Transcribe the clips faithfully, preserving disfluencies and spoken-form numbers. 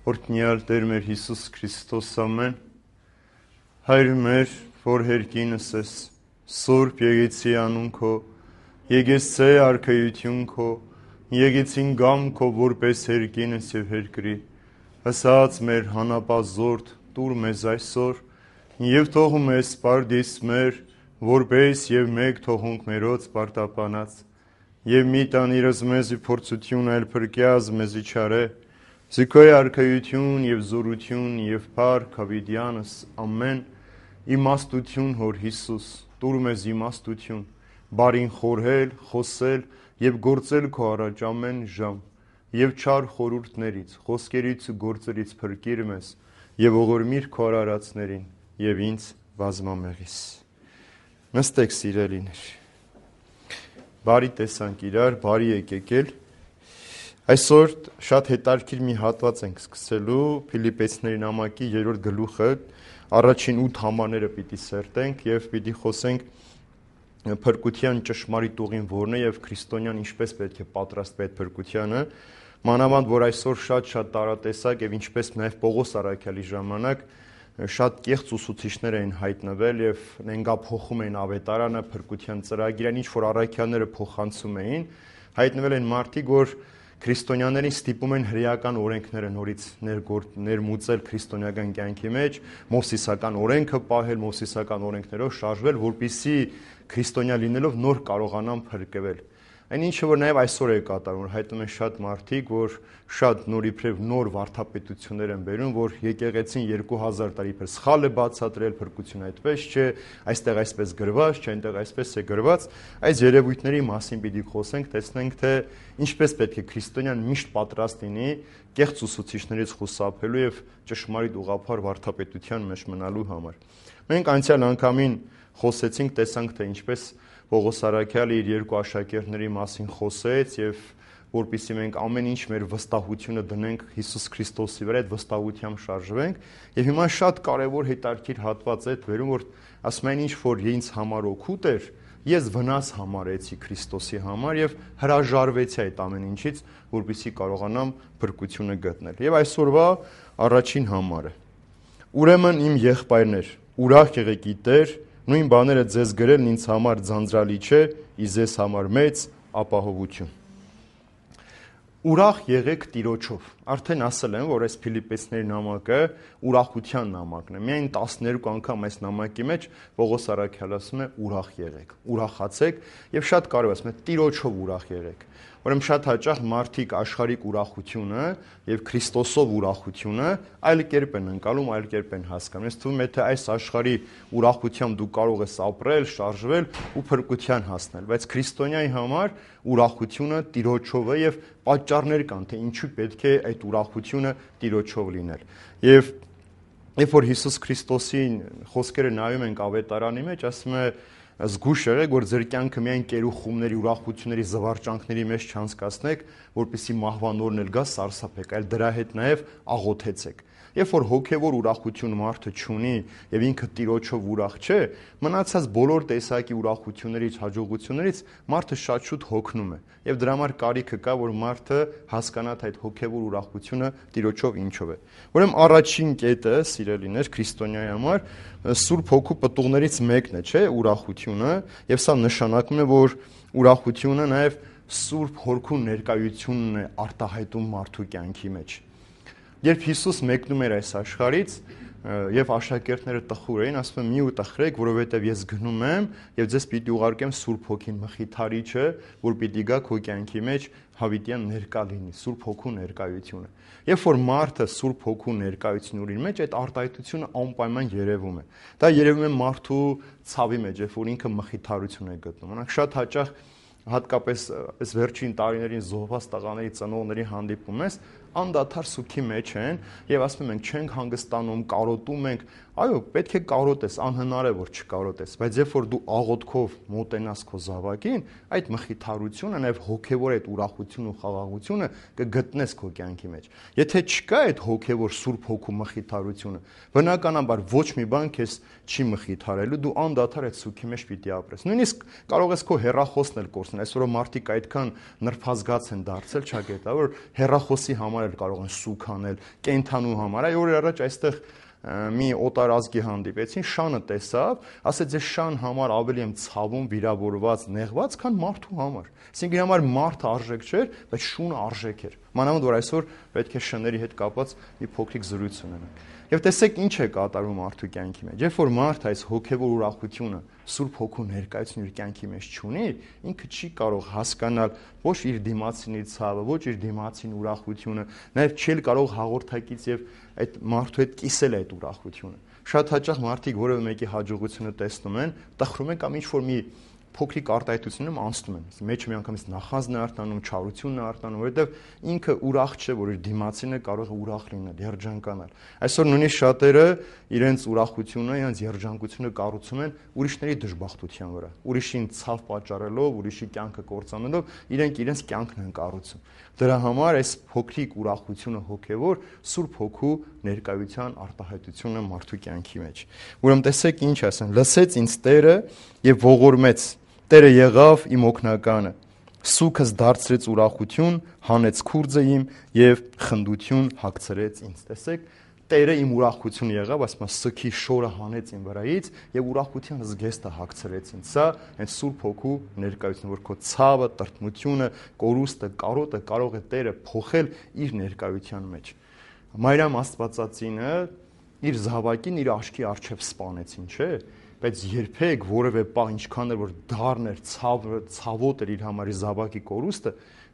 Օրհնյալ Տեր մեր Հիսուս Քրիստոս ամեն, Հայր մեր, որ հերկինս ես, Սուրբ եկեցի անուն քո, եկեցե արքայություն քո, եկեցին գամ քո որպես հերկինս եւ հերկրի, հսած մեր հանապազորդ տուր մեզ այսօր, եւ թող մեզ պարդիս մեր, որպես եւ մեկ թողունք մերոց պարտապանած, եւ մի տանիրս մեզի փորձություն այլ փրկյազ մեզի չարե, Զիքոյ արքայություն եւ զորություն եւ փառք հավիտյանս ամեն իմաստություն հոր Հիսուս տուր մեզ իմաստություն բարին խորհել խոսել եւ գործել քո առաջ ամեն ժամ եւ չար խորհուրդներից խոսքերից ու գործերից փրկիր մեզ եւ ողորմիր քո արարածներին եւ ինձ բազմամեղիս նստեք սիրելիներ բարի տեսանք իրար բարի եկեկել Այսօր շատ հետաքրքիր մի հատված ենք սկսելու Ֆիլիպպեցիների նամակի երրորդ գլուխը առաջին ութ համարները պիտի սերտենք եւ պիտի խոսենք փրկության ճշմարիտ ուղին որն է եւ քրիստոնյան ինչպես պետք է պատրաստվի այդ փրկությանը մանավանդ որ այսօր շատ-շատ տարատեսակ եւ ինչպես նաեւ Պողոս Արաքյալի ժամանակ շատ կեղծ ուսուցիչներ էին հայտնվել եւ նենգափոխում էին ավետարանը փրկության ծրագիրը ինչ որ առաքյալները փոխանցում էին հայտնվել են մարդիկ որ Քրիստոնյաներին ստիպում են հրեական օրենքները նորից ներմուծել քրիստոնեական կյանքի մեջ, մովսիսական օրենքը պահել, մովսիսական օրենքներով շարժվել, որպեսզի քրիստոնյա լինելով նոր կարողանան փրկվել։ Այն ինչը որ նաև այսօր է կատարվում, որ հայտնում են շատ մարդիկ, որ շատ նոր իբրև նոր վարդապետություններ են բերում, որ եկեղեցին երկու հազար տարի իբր սխալ է բացատրել փրկություն այդպես չէ, այստեղ այսպես գրված, չէ, այնտեղ այսպես է գրված, այս երևույթների մասին պիտի խոսենք, տեսնենք թե ինչպես պետք է քրիստոնյան միշտ պատրաստ լինի կեղծ ուսուցիչներից խուսափելու եւ ճշմարիտ ուղղափառ վարդապետության մեջ մնալու համար։ Մենք անցյալ անգամին խոսեցինք, տեսանք թե ինչպես Պողոս Արաքյալը իր երկու աշակերտների մասին խոսեց եւ որպեսզի մենք ամեն ինչ մեր վստահությունը դնենք Հիսուս Քրիստոսի վրա, այդ վստահությամբ շարժվենք եւ հիմա շատ կարեւոր հետաքրքիր հատված է վերում որ ասում են ինչ որ ինձ համար օգուտ էր ես վնաս համարեցի Քրիստոսի համար եւ հրաժարվեցի այդ ամեն ինչից որպեսզի կարողանամ փրկությունը գտնել եւ այսօրվա առաջին համարը ուրեմն իմ եղբայրներ ուրախ եղեք գիտեր նույն բաները ձեզ գրելն ինձ համար ձանձրալի չէ, իզես համար մեծ ապահովություն։ Ուրախ եղեք Տիրոջով։ Արդեն ասել եմ, որ այս Ֆիլիպպեցիների նամակը ուրախության նամակն է։ Միայն տասներկու անգամ այս նամակի մեջ Պողոս Արաքյալը ասում է ուրախ եղեք, ուրախացեք եւ շատ կարեւոր ասում է Տիրոջով ուրախ եղեք։ Ուրեմն շատ հաճախ մարդիկ աշխարհիկ ուրախությունը եւ Քրիստոսով ուրախությունը այլ կերպ են ընկալում, այլ կերպ են հասկանում։ Ես թվում է թե այս աշխարհի ուրախությամբ դու կարող ես ապրել, շարժվել ու փրկության հասնել, բայց քրիստոնյայի համար ուրախությունը Տիրոջով է եւ պատճառներ կան, թե ինչու պետք է այդ ուրախությունը Տիրոջով լինել։ Եվ երբ որ Հիսուս Քրիստոսի խոսքերը նայում ենք ավետարանի մեջ, ասում է զգուշ եղեք, որ ձեր կյանքը միայն կերուխումների, ուրախությունների, զվարճանքների մեջ չանցկացնեք, որպեսզի մահվան օրն էլ գա սարսափեք, այլ դրա հետ նաև աղոթեցեք։ Երբ որ հոգևոր ուրախություն մարդը չունի եւ ինքը Տիրոջով ուրախ չէ, մնացած բոլոր տեսակի ուրախություններից, հաջողություններից մարդը շատ շուտ հոգնում է։ Եվ դրա համար կարիքը կա, որ մարդը հասկանա թե այդ հոգևոր ուրախությունը Տիրոջով ինչով է։ Ուրեմն առաջին կետը, սիրելիներ, քրիստոնյայի համար Սուրբ Հոգու պտուղներից մեկն է, չէ՞, ուրախությունը, եւ սա նշանակում է, որ ուրախությունը նաեւ Սուրբ Հոգու ներկայությունն է արտահայտում մարդու կյանքի մեջ։ Երբ Հիսուս մեկնում էր այս աշխարհից եւ աշակերտները տխուր էին, ասում են՝ մի ու տխրեք, որովհետեւ ես գնում եմ եւ ձեզ պիտի ուղարկեմ Սուրբ Հոգին, Մխիթարիչը, որ պիտի գա քո կյանքի մեջ հավիտյան ներկա լինի, Սուրբ Հոգու ներկայությունը։ Երբ որ մարդը Սուրբ Հոգու ներկայություն ունի մեջ, այդ արտահայտությունը անպայման երևում է։ Դա երևում է մարդու ցավի մեջ, երբ որ ինքը մխիթարություն է գտնում։ Օրինակ շատ հաճախ հատկապես այս վերջին տարիներին զոհված տղաների ծնողների հանդիպում ես անդադար սուքի մեջ են եւ ասում են չենք հանգստանում, կարոտում ենք, այո, պետք է կարոտես, անհնար է որ չկարոտես, բայց երբ որ դու աղոթքով մոտենաս քո զավակին, այդ մխիթարությունը նաեւ հոգեվոր այդ ուրախությունը ու խաղաղությունը կգտնես քո կյանքի մեջ։ Եթե չկա այդ հոգեվոր Սուրբ Հոգու մխիթարությունը, բնականաբար ոչ մի բան քեզ չի մխիթարելու, դու անդադար այդ սուքի մեջ պիտի ապրես։ Նույնիսկ կարող ես քո հեռախոսն էլ կորցնել, այսօր մարդիկ այդքան նրբազգաց են դարձել, չգիտա, որ հեռախոսի համար համար էլ կարող են սուգ անել, կենդանու համար։ Այ օրեր առաջ այստեղ մի օտար ազգի հանդիպեցին, շանը տեսավ, ասեց ես շան համար ավելի եմ ցավում, վիրավորված, նեղված, քան մարդու համար։ Այսինքն իր համար մարդը արժեք չէր, բայց շունը արժեք էր։ Մանավանդ որ այսօր պետք է շների հետ կապված մի փոքրիկ զրույց ունենանք։ Եվ տեսեք ինչ է կատարում մարդու կյանքի մեջ։ Երբ որ մարդը այս հոգևոր ուրախությունը Սուրբ Հոգու ներկայությունը իր կյանքի մեջ չունի, ինքը չի կարող հասկանալ ոչ իր դիմացինի ցավը, ոչ իր դիմացին ուրախությունը, նաև չի կարող հաղորդակից եւ այդ մարդու հետ կիսել այդ ուրախությունը։ Շատ հաճախ մարդիկ որևէ մեկի հաջողությունը տեսնում են, տխրում են կամ ինչ որ մի փոքրիկ արտահայտությունում անցնում են։ Մեջը միանգամից նախանձն է արտանում, չարությունն է արտանում, որովհետև ինքը ուրախ չէ, որ իր դիմացինը կարող է ուրախ լինել, երջանկանալ։ Այսօր նույնիսկ շատերը իրենց ուրախությունը, իրենց երջանկությունը կառուցում են ուրիշների դժբախտության վրա։ Ուրիշին ցավ պատճառելով, ուրիշի կյանքը կործանելով, իրենք իրենց կյանքն են կառուցում։ Դրա համար այս փոքրիկ ուրախությունը հոգևոր Սուրբ Հոգու ներկայության արտահայտությունը մարդու կյանքի մեջ։ Ուրեմն տեսեք ինչ ասեն. լսեց ինձ Տերը եւ ողորմեց, Տերը եղավ իմ օգնականը, սուքս դարձրեց ուրախություն, հանեց քուրձը իմ եւ խնդություն հագցրեց ինձ։ Տեսեք, Տերը իմ ուրախությունը եղավ, ասում է սքի շորը հանեց իմ վրայից եւ ուրախության զգեստը հագցրեց ինձ։ Սա հենց Սուրբ Հոգու ներկայությունը, որ քո ցավը, տրտմությունը, կորուստը, կարոտը կարող է Տերը փոխել իր ներկայության մեջ։ Մարիամ Աստվածածինը իր զավակին իր աչքի առջև սպանեցին, չէ՞։ Բայց երբեք որևէ պահ ինչքան էր որ դառն էր, ցավ, ցավոտ էր իր համար իր զավակի կորուստը,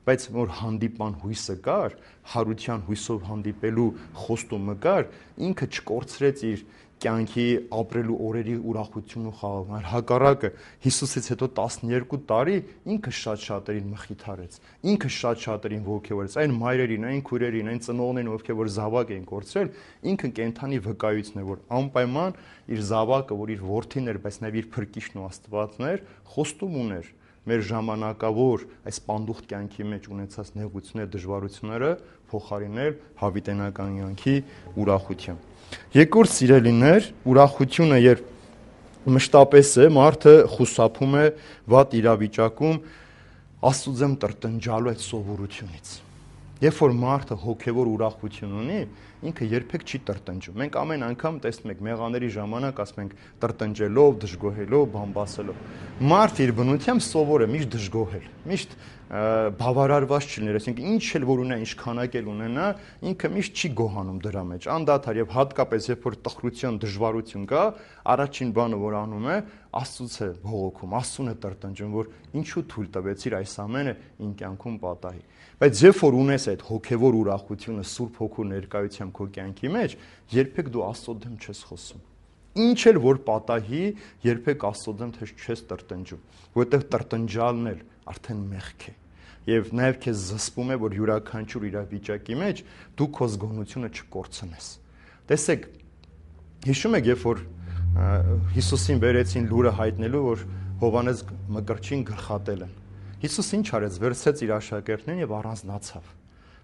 բայց որ հանդիպան հույսը կար, հարության հույսով հանդիպելու խոստումը կար, ինքը չկորցրեց իր կյանքի ապրելու օրերի ուրախությունն ու խաղաղը, այլ հակառակը Հիսուսից հետո տասներկու տարի ինքը շատ շատերին մխիթարեց, ինքը շատ շատերին ողջևորեց, այն մայրերին, այն քույրերին, այն ծնողներին, ովքեր որ զավակ էին կորցրել, ինքը կենթանի վկայությունն է, որ անպայման իր զավակը, որ իր որդին էր, բայց նաև իր փրկիչն ու Աստվածն էր, խոստում ուներ մեր ժամանակավոր այս պանդուխտ կյանքի մեջ ունեցած նեղությունները, դժվարությունները փոխարինել հավիտենական կյանքի ուրախությամբ։ Երկրորդ սիրելիներ, ուրախությունը երբ մշտապես է, մարդը խուսափում է վատ իրավիճակում Աստծո տրտնջալու այդ սովորությունից։ Երբ որ մարդը հոգևոր ուրախություն ունի, ինքը երբեք չի տրտնջում։ Մենք ամեն անգամ տեսնում ենք մեղաների ժամանակ ասում ենք տրտնջելով, դժգոհելով, բամբասելով։ Մարդ իր բնությամբ սովոր է միշտ դժգոհել, միշտ բավարարված չլիներ, այսինքն ինչ էլ որ ունենա, ինչ քանակ էլ ունենա, ինքը միշտ չի գոհանում դրա մեջ։ Անդադար եւ հատկապես երբ որ տխրություն, դժվարություն կա, առաջին բանը որ անում է, Աստծուց է բողոքում, Աստծուն է տրտնջում, որ ինչու թույլ տվեցիր այս ամենը իմ կյանքում պատահի։ Բայց երբ որ ունես այդ հոգևոր ուրախությունը Սուրբ Հոգու ներկայությամբ քո կյանքի մեջ, երբեք դու Աստծո դեմ չես խոսում։ Ինչ էլ որ պատահի, երբեք Աստծո դեմ չես տրտնջում, որովհետև տրտնջալն էլ արդեն մեղք է։ Եվ նաև քեզ զսպում է, որ յուրաքանչյուր իրավիճակի մեջ դու քո զգոնությունը չկորցնես։ Տեսեք, հիշում եք, երբ որ Հիսուսին բերեցին լուրը հայտնելու, որ Հովհաննես Մկրտչին գլխատել են։ Հիսուս ինչ արեց, վերցրեց իր աշակերտներին եւ առանձնացավ,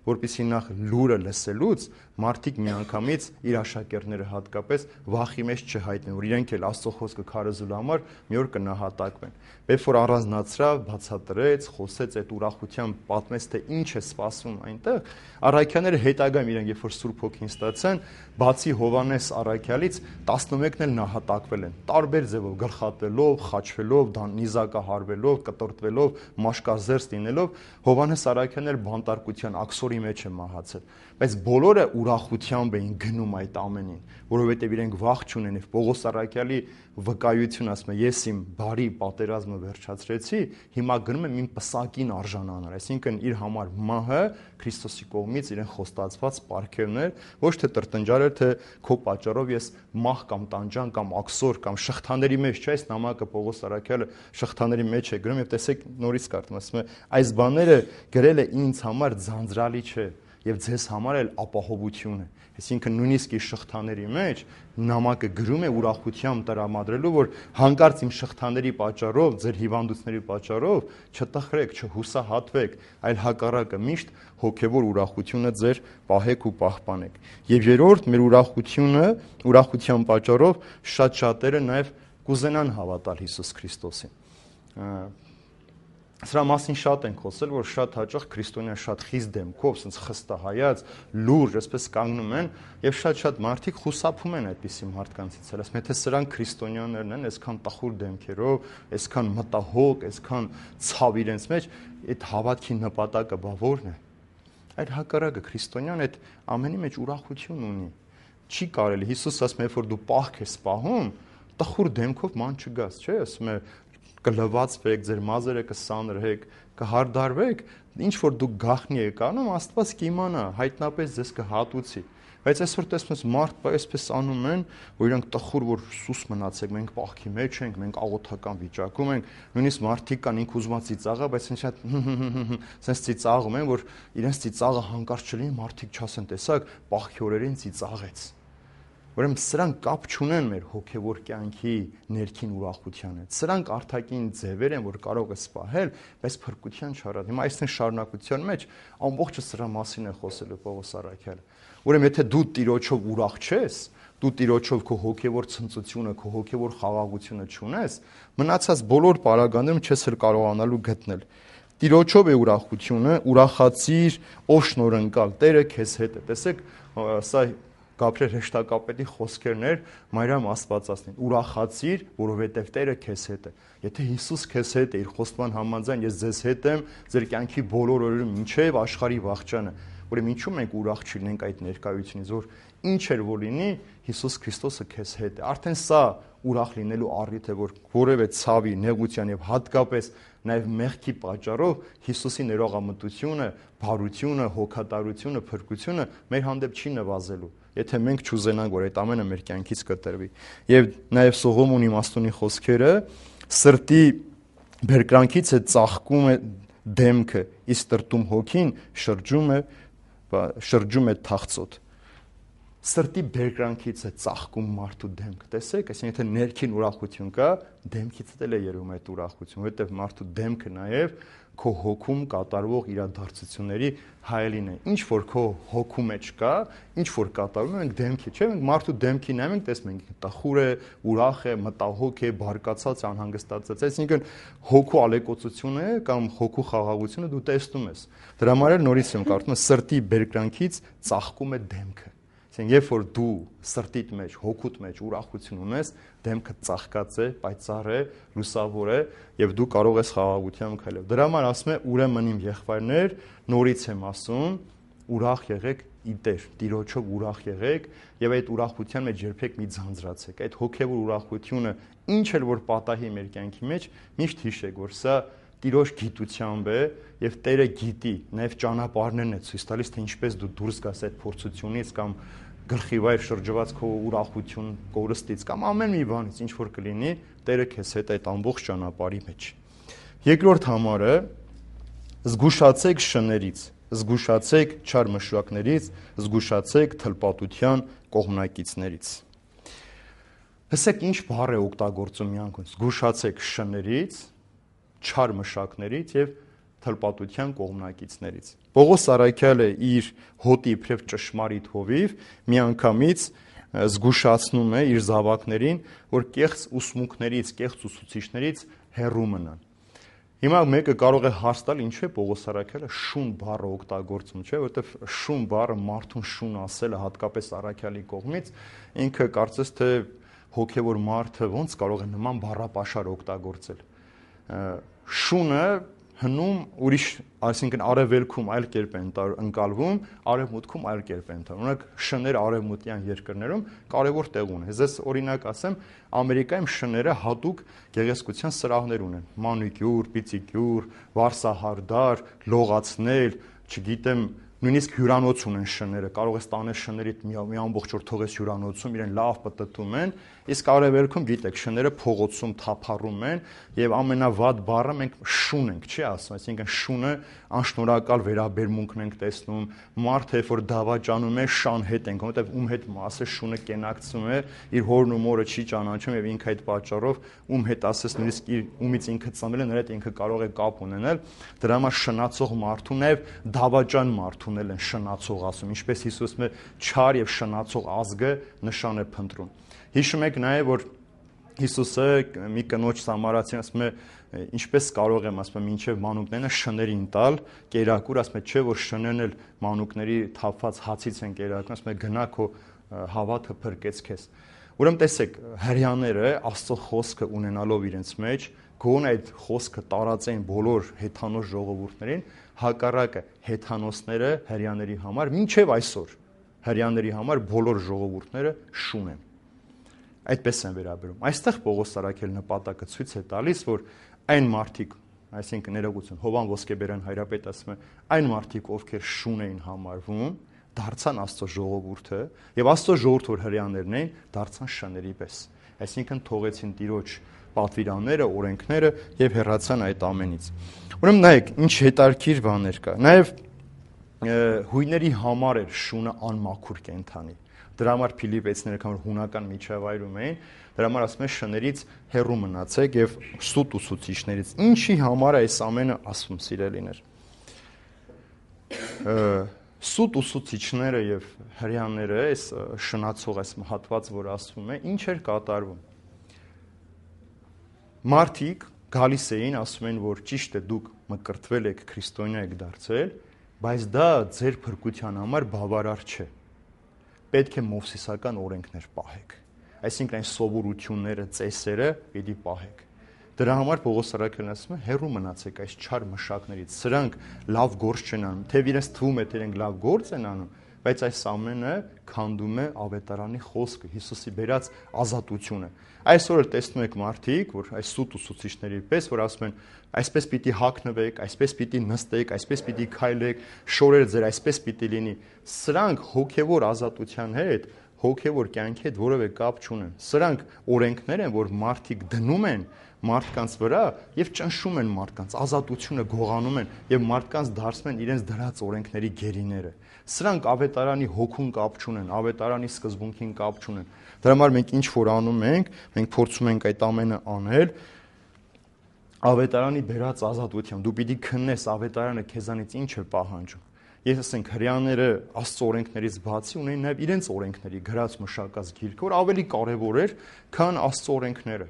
որպեսզի նախ լուրը լսելուց մարդիկ միանգամից իր աշակերտները հատկապես վախի մեջ չհայտնեն, որ իրենք էլ Աստծո խոսքը քարոզելու համար մի օր կնահատակվեն։ Երբ որ առանձնացրավ, բացատրեց, խոսեց այդ ուրախությամբ, պատմեց թե ինչ է սպասվում այնտեղ, առաքյալները հետագայում իրենք երբ որ Սուրբ Հոգին ստացան, բացի Հովհաննես առաքյալից տասնմեկն էլ նահատակվել են, տարբեր ձևով, գլխատվելով, խաչվելով, նիզակահարվելով, կտրտվելով, մաշկազերծ լինելով, Հովհաննես առաքյալն էլ բանտարկության աքսորի մեջ է մահացել, բայց բոլորը ուրախությամբ էին գնում այդ ամենին, որովհետև իրենք վախ չունեն եւ Պողոս առաքյալի վկայություն ասում է, ես իմ բարի պատերազմը վերջացրեցի, հիմա գնում եմ իմ պսակին արժանանալ, այսինքն իր համար մահը Քրիստոսի կողմից իրեն խոստացված պարգևն էր, ոչ թե տրտնջալ էր, թե քո պատճառով ես մահ կամ տանջան կամ աքսոր կամ շղթաների մեջ, չէ՞, այս նամակը Պողոս առաքյալը շղթաների մեջ է գրում եւ տեսեք նորից կարդում, ասում է, այս բաները գրել է ինձ համար ձանձրալի չէ եւ ձեզ համար էլ ապահովություն է։ Այսինքն նույնիսկ իր շղթաների մեջ նամակը գրում է ուրախությամբ տրամադրելու, որ հանկարծ իմ շղթաների պատճառով, ձեր հիվանդությունների պատճառով չտխրեք, չհուսահատվեք, այլ հակառակը միշտ հոգևոր ուրախությունը ձեր պահեք ու պահպանեք։ Եվ երրորդ, մեր ուրախությունը, ուրախության պատճառով շատ շատերը նաև կուզենան հավատալ Հիսուս Քրիստոսին։ Սրա մասին շատ ենք խոսել, որ շատ հաճախ քրիստոնյան շատ խիստ դեմքով, ասենց խստահայաց, լուրջ, այսպես կանգնում են եւ շատ-շատ մարդիկ խուսափում են այդպիսի մարդկանցից։ Ասես, եթե սրանք քրիստոնյաներն են, այսքան տխուր դեմքերով, այսքան մտահոգ, այսքան ցավ իրենց մեջ, այդ հավատքի նպատակը բա ո՞րն է։ Այդ հակառակը քրիստոնյան այդ ամենի մեջ ուրախություն ունի։ Չի կարելի, Հիսուս ասում է, որ դու պահք ես պահում, տխուր դեմքով ման չգաս, չէ՞, ասում է կլվացվեք, ձեր մազերը կսանրեք, կհարդարվեք, ինչ որ դուք գախնի եք անում, Աստված կիմանա, հայտնապես ձեզ կհատուցի։ Բայց այսօր տեսնում ես մարդ այսպես անում են, որ իրանք տխուր որ սուս մնացեք, մենք պահքի մեջ ենք, մենք աղոթական վիճակում ենք, նույնիսկ մարդիկ կան ինք ուզում ծիծաղա, բայց ինչ շատ sense ծիծաղում են, որ իրենց ծիծաղը հանկարծ չլինի, մարդիկ չասեն, տեսակ, պահքի օրերին ծիծաղեց։ Ուրեմն սրանք կապ չունեն մեր հոգևոր կյանքի ներքին ուրախության հետ։ Սրանք արտաքին ձևեր են, որ կարող է սպահել, բայց փրկության չարած։ Հիմա այսինքն շարունակության մեջ ամբողջը սրա մասին է խոսելու Պողոս առաքյալը։ Ուրեմն եթե դու Տիրոջով ուրախ չես, դու Տիրոջով քո հոգևոր ցնծությունը, քո հոգևոր խաղաղությունը չունես, մնացած բոլոր պարագաներում չես էլ կարողանալու գտնել։ Տիրոջով է ուրախությունը, ուրախացիր, ով շնորհընկալ, Տերը քեզ հետ է։ Տեսեք, սա Գաբրիել հեշտակապետի խոսքերն էր Մարիամ Աստվածածնին, ուրախացիր, որովհետև Տերը քեզ հետ է։ Եթե Հիսուս քեզ հետ է, իր խոստման համաձայն ես ձեզ հետ եմ, ձեր կյանքի բոլոր օրերում մինչև աշխարհի վախճանը, ուրեմն ինչու մենք ուրախ չլինենք այդ ներկայությունից, որ ինչ էլ որ լինի, Հիսուս Քրիստոսը քեզ հետ է։ Արդեն սա ուրախ լինելու առիթ է, որ որևէ ցավի, նեղության եւ հատկապես նաեւ մեղքի պատճառով Հիսուսի ներողամտությունը, բարությունը, հոգատարությունը, փրկությունը մեր հանդեպ չի նվազելու։ Եթե մենք չուզենանք, որ այդ ամենը մեր կյանքից կտրվի։ Եվ նաև Սողոմոն իմաստունի խոսքերը սրտի բերկրանքից է ծաղկում է դեմքը, իսկ տրտում հոգին շրջում է շրջում է թախծոտ։ Սրտի բերկրանքից է ծաղկում մարդու դեմքը։ Տեսեք, այսինքն եթե ներքին ուրախություն կա, դեմքից էլ է երևում այդ ուրախությունը, որովհետև մարդու դեմքը նաև քո հոգում կատարվող իրադարձությունների հայելին է։ Ինչ որ քո հոգու մեջ կա, ինչ որ կատարվում է, մենք դեմքի, չէ՞, մենք մարդու դեմքին նայում ենք, տեսնում ենք տխուր է, ուրախ է, մտահոգ է, բարկացած, անհանգստացած, այսինքն հոգու ալեկոծությունը կամ հոգու խաղաղությունը դու տեսնում ես։ Դրա համար էլ նորից եմ կարդում, սրտի բերկրանքից ծաղկում է դեմքը։ Երբ որ դու սրտիդ մեջ, հոգուդ մեջ ուրախություն ունես, դեմքը ծաղկած է, պայծառ է, լուսավոր է եւ դու կարող ես խաղաղությամբ քայլել։ Դրա համար ասում է ուրեմն իմ եղբայրներ, նորից եմ ասում, ուրախ եղեք ի Տեր, Տիրոջով ուրախ եղեք եւ այդ ուրախության մեջ երբեք մի ձանձրացեք։ Այդ հոգեվոր ուրախությունը ինչ էլ որ պատահի մեր կյանքի մեջ, միշտ հիշեք, որ սա Տիրոջ գիտությամբ է եւ Տերը գիտի, նաեւ ճանապարհներն է ցույց տալիս, թե ինչպես դու դուրս գաս այդ փորձությունից կամ գլխի վայր շրջված քո ուրախություն կորստից կամ ամեն մի բանից ինչ որ կլինի, Տերը քեզ հետ այդ ամբողջ ճանապարհի մեջ։ Երկրորդ համարը զգուշացեք շներից, զգուշացեք չար մշակներից, զգուշացեք թլպատության կողմնակիցներից։ Հսեք ինչ բառ է օգտագործում մի անգամ, զգուշացեք շներից, չար մշակներից եւ թլպատության կողմնակիցներից։ Պողոս առաքյալը իր հոտի իբրև ճշմարիտ հովիվ միանգամից զգուշացնում է իր զավակներին, որ կեղծ ուսմունքներից, կեղծ ուսուցիչներից հեռու մնան։ Հիմա մեկը կարող է հարց տալ, ինչու է Պողոս առաքյալը շուն բառը օգտագործում, չէ՞, որովհետև շուն բառը մարդուն շուն ասելը հատկապես առաքյալի կողմից, ինքը կարծես թե հոգևոր մարդը ոնց կարող է նման բառապաշար օգտագործել։ Շունը հնում ուրիշ, այսինքն արևելքում այլ կերպ են ընկալվում, արևմուտքում այլ կերպ են ընկալվում։ Օրինակ շներ արևմուտյան երկրներում կարևոր տեղ ունեն։ Ես օրինակ ասեմ, Ամերիկայում շները հատուկ գեղեցկության սրահներ ունեն։ Մանիկյուր, պիծիկյուր, վարսահարդար, լողացնել, չգիտեմ, նույնիսկ հյուրանոց ունեն շները, կարող ես տանել շներից մի, մի ամբողջ օր թողես հյուրանոցում, իրեն լավ պտտում են, իսկ արևելքում գիտեք, շները փողոցում թափառում են եւ ամենավատ բառը մենք շուն ենք, չի ասում, այսինքն շունը անշնորհակալ վերաբերմունքն ենք տեսնում, մարդը երբ որ դավաճանում է, շան հետ ենք, որովհետեւ ում հետ ասես շունը կենակցում է, իր հորն ու մորը չի ճանաչում եւ ինքը այդ պատճառով ում հետ ասես նույնիսկ իր ումից ինքը ծնվել է, նրա հետ ինքը կարող է կապ ունենալ, դրա համար շնացող մարդու նաեւ դավաճան մարդ ունել են շնացող ասում, ինչպես Հիսուսը չար եւ շնացող ազգը նշան է փնտրում։ Հիշում եք նաեւ, որ Հիսուսը մի կնոջ Սամարացին ասում է ինչպես կարող եմ ասում եմ մինչև մանուկներն շներին տալ կերակուր ասում է չէ որ շներն էլ մանուկների թափված հացից են կերակուրն ասում է գնա քո հավատը փրկեց քեզ ուրեմն տեսեք հрьяաները Աստծո խոսքը ունենալով իրենց մեջ գոնե այդ խոսքը տարածեն բոլոր հեթանոս ժողովուրդներին հակառակը հեթանոսները հрьяաների համար մինչև այսօր հрьяաների համար բոլոր ժողովուրդները շուն են այդպես են վերաբերում այստեղ Պողոս Սարաքել նպատակը ցույց է տալիս որ այն մարդիկ այսինքն ներողություն Հովան Ոսկեբերյան հայրապետ ասում է այն մարդիկ ովքեր շուն էին համարվում դարձան Աստծո ժողովուրդը եւ Աստծո ժողովուրդը որ հрьяաներն էին դարձան շների պես այսինքն թողեցին Տիրոջ պատվիրանները օրենքները եւ հեռացան այդ ամենից ուրեմն նայեք ինչ հետարքիր բաներ կա նաեւ հույների համար էր շունը անմաքուր կենթանի դրա համար Փիլիպեցիները կամ հունական միջավայրում էին դրա համար ասում է շներից հեռու մնացեք եւ սուտ ուսուցիչներից ինչի համար է այս ամենը ասում սիրելիներ սուտ ուսուցիչները եւ հрьяաները այս շնացող այս հատված որ ասվում է ինչ էր կատարվում մարդիկ գալիս էին ասում են որ ճիշտ է դուք մկրտվել եք քրիստոնյա եք դարձել բայց դա ձեր փրկության համար բավարար չէ պետք է մովսիսական օրենքներ պահեք այսինքն այն սովորությունները ծեսերը պիտի պահեք դրա համար Պողոս Սարաքելն ասում է հեռու մնացեք այս չար մշակներից սրանք լավ գործ չեն անում թեև իրենց թվում է թե իրենք լավ գործ են անում բայց այս ամենը քանդում է ավետարանի խոսքը Հիսուսի բերած ազատությունը այսօր տեսնում եք մարդիկ որ այս սուտ ուսուցիչների պես որ ասում են այսպես պիտի հագնվեք այսպես պիտի նստեք այսպես պիտի քայլեք շորերը ձեր այսպես պիտի լինի սրանք հոգևոր ազատության հետ հոգևոր կյանքի հետ որևէ կապ չունեն սրանք օրենքներ են որ մարդիկ դնում են մարդկանց վրա եւ ճնշում են մարդկանց ազատությունը գողանում են եւ մարդկանց դարձնում են իրենց դրած օրենքների գերիները սրանք ավետարանի հոգուն կապ չունեն ավետարանի սկզբունքին կապ չունեն դրա համար մենք ինչ որ անում ենք մենք փորձում ենք այդ ամենը անել ավետարանի բերած ազատությամբ դու պիտի քննես ավետարանը քեզանից ինչ է պահանջում ես ասենք հрьяաները Աստծո օրենքներից բացի ունեն նաև իրենց օրենքների գրած մշակած գիրքը որ ավելի կարևոր էր քան Աստծո օրենքները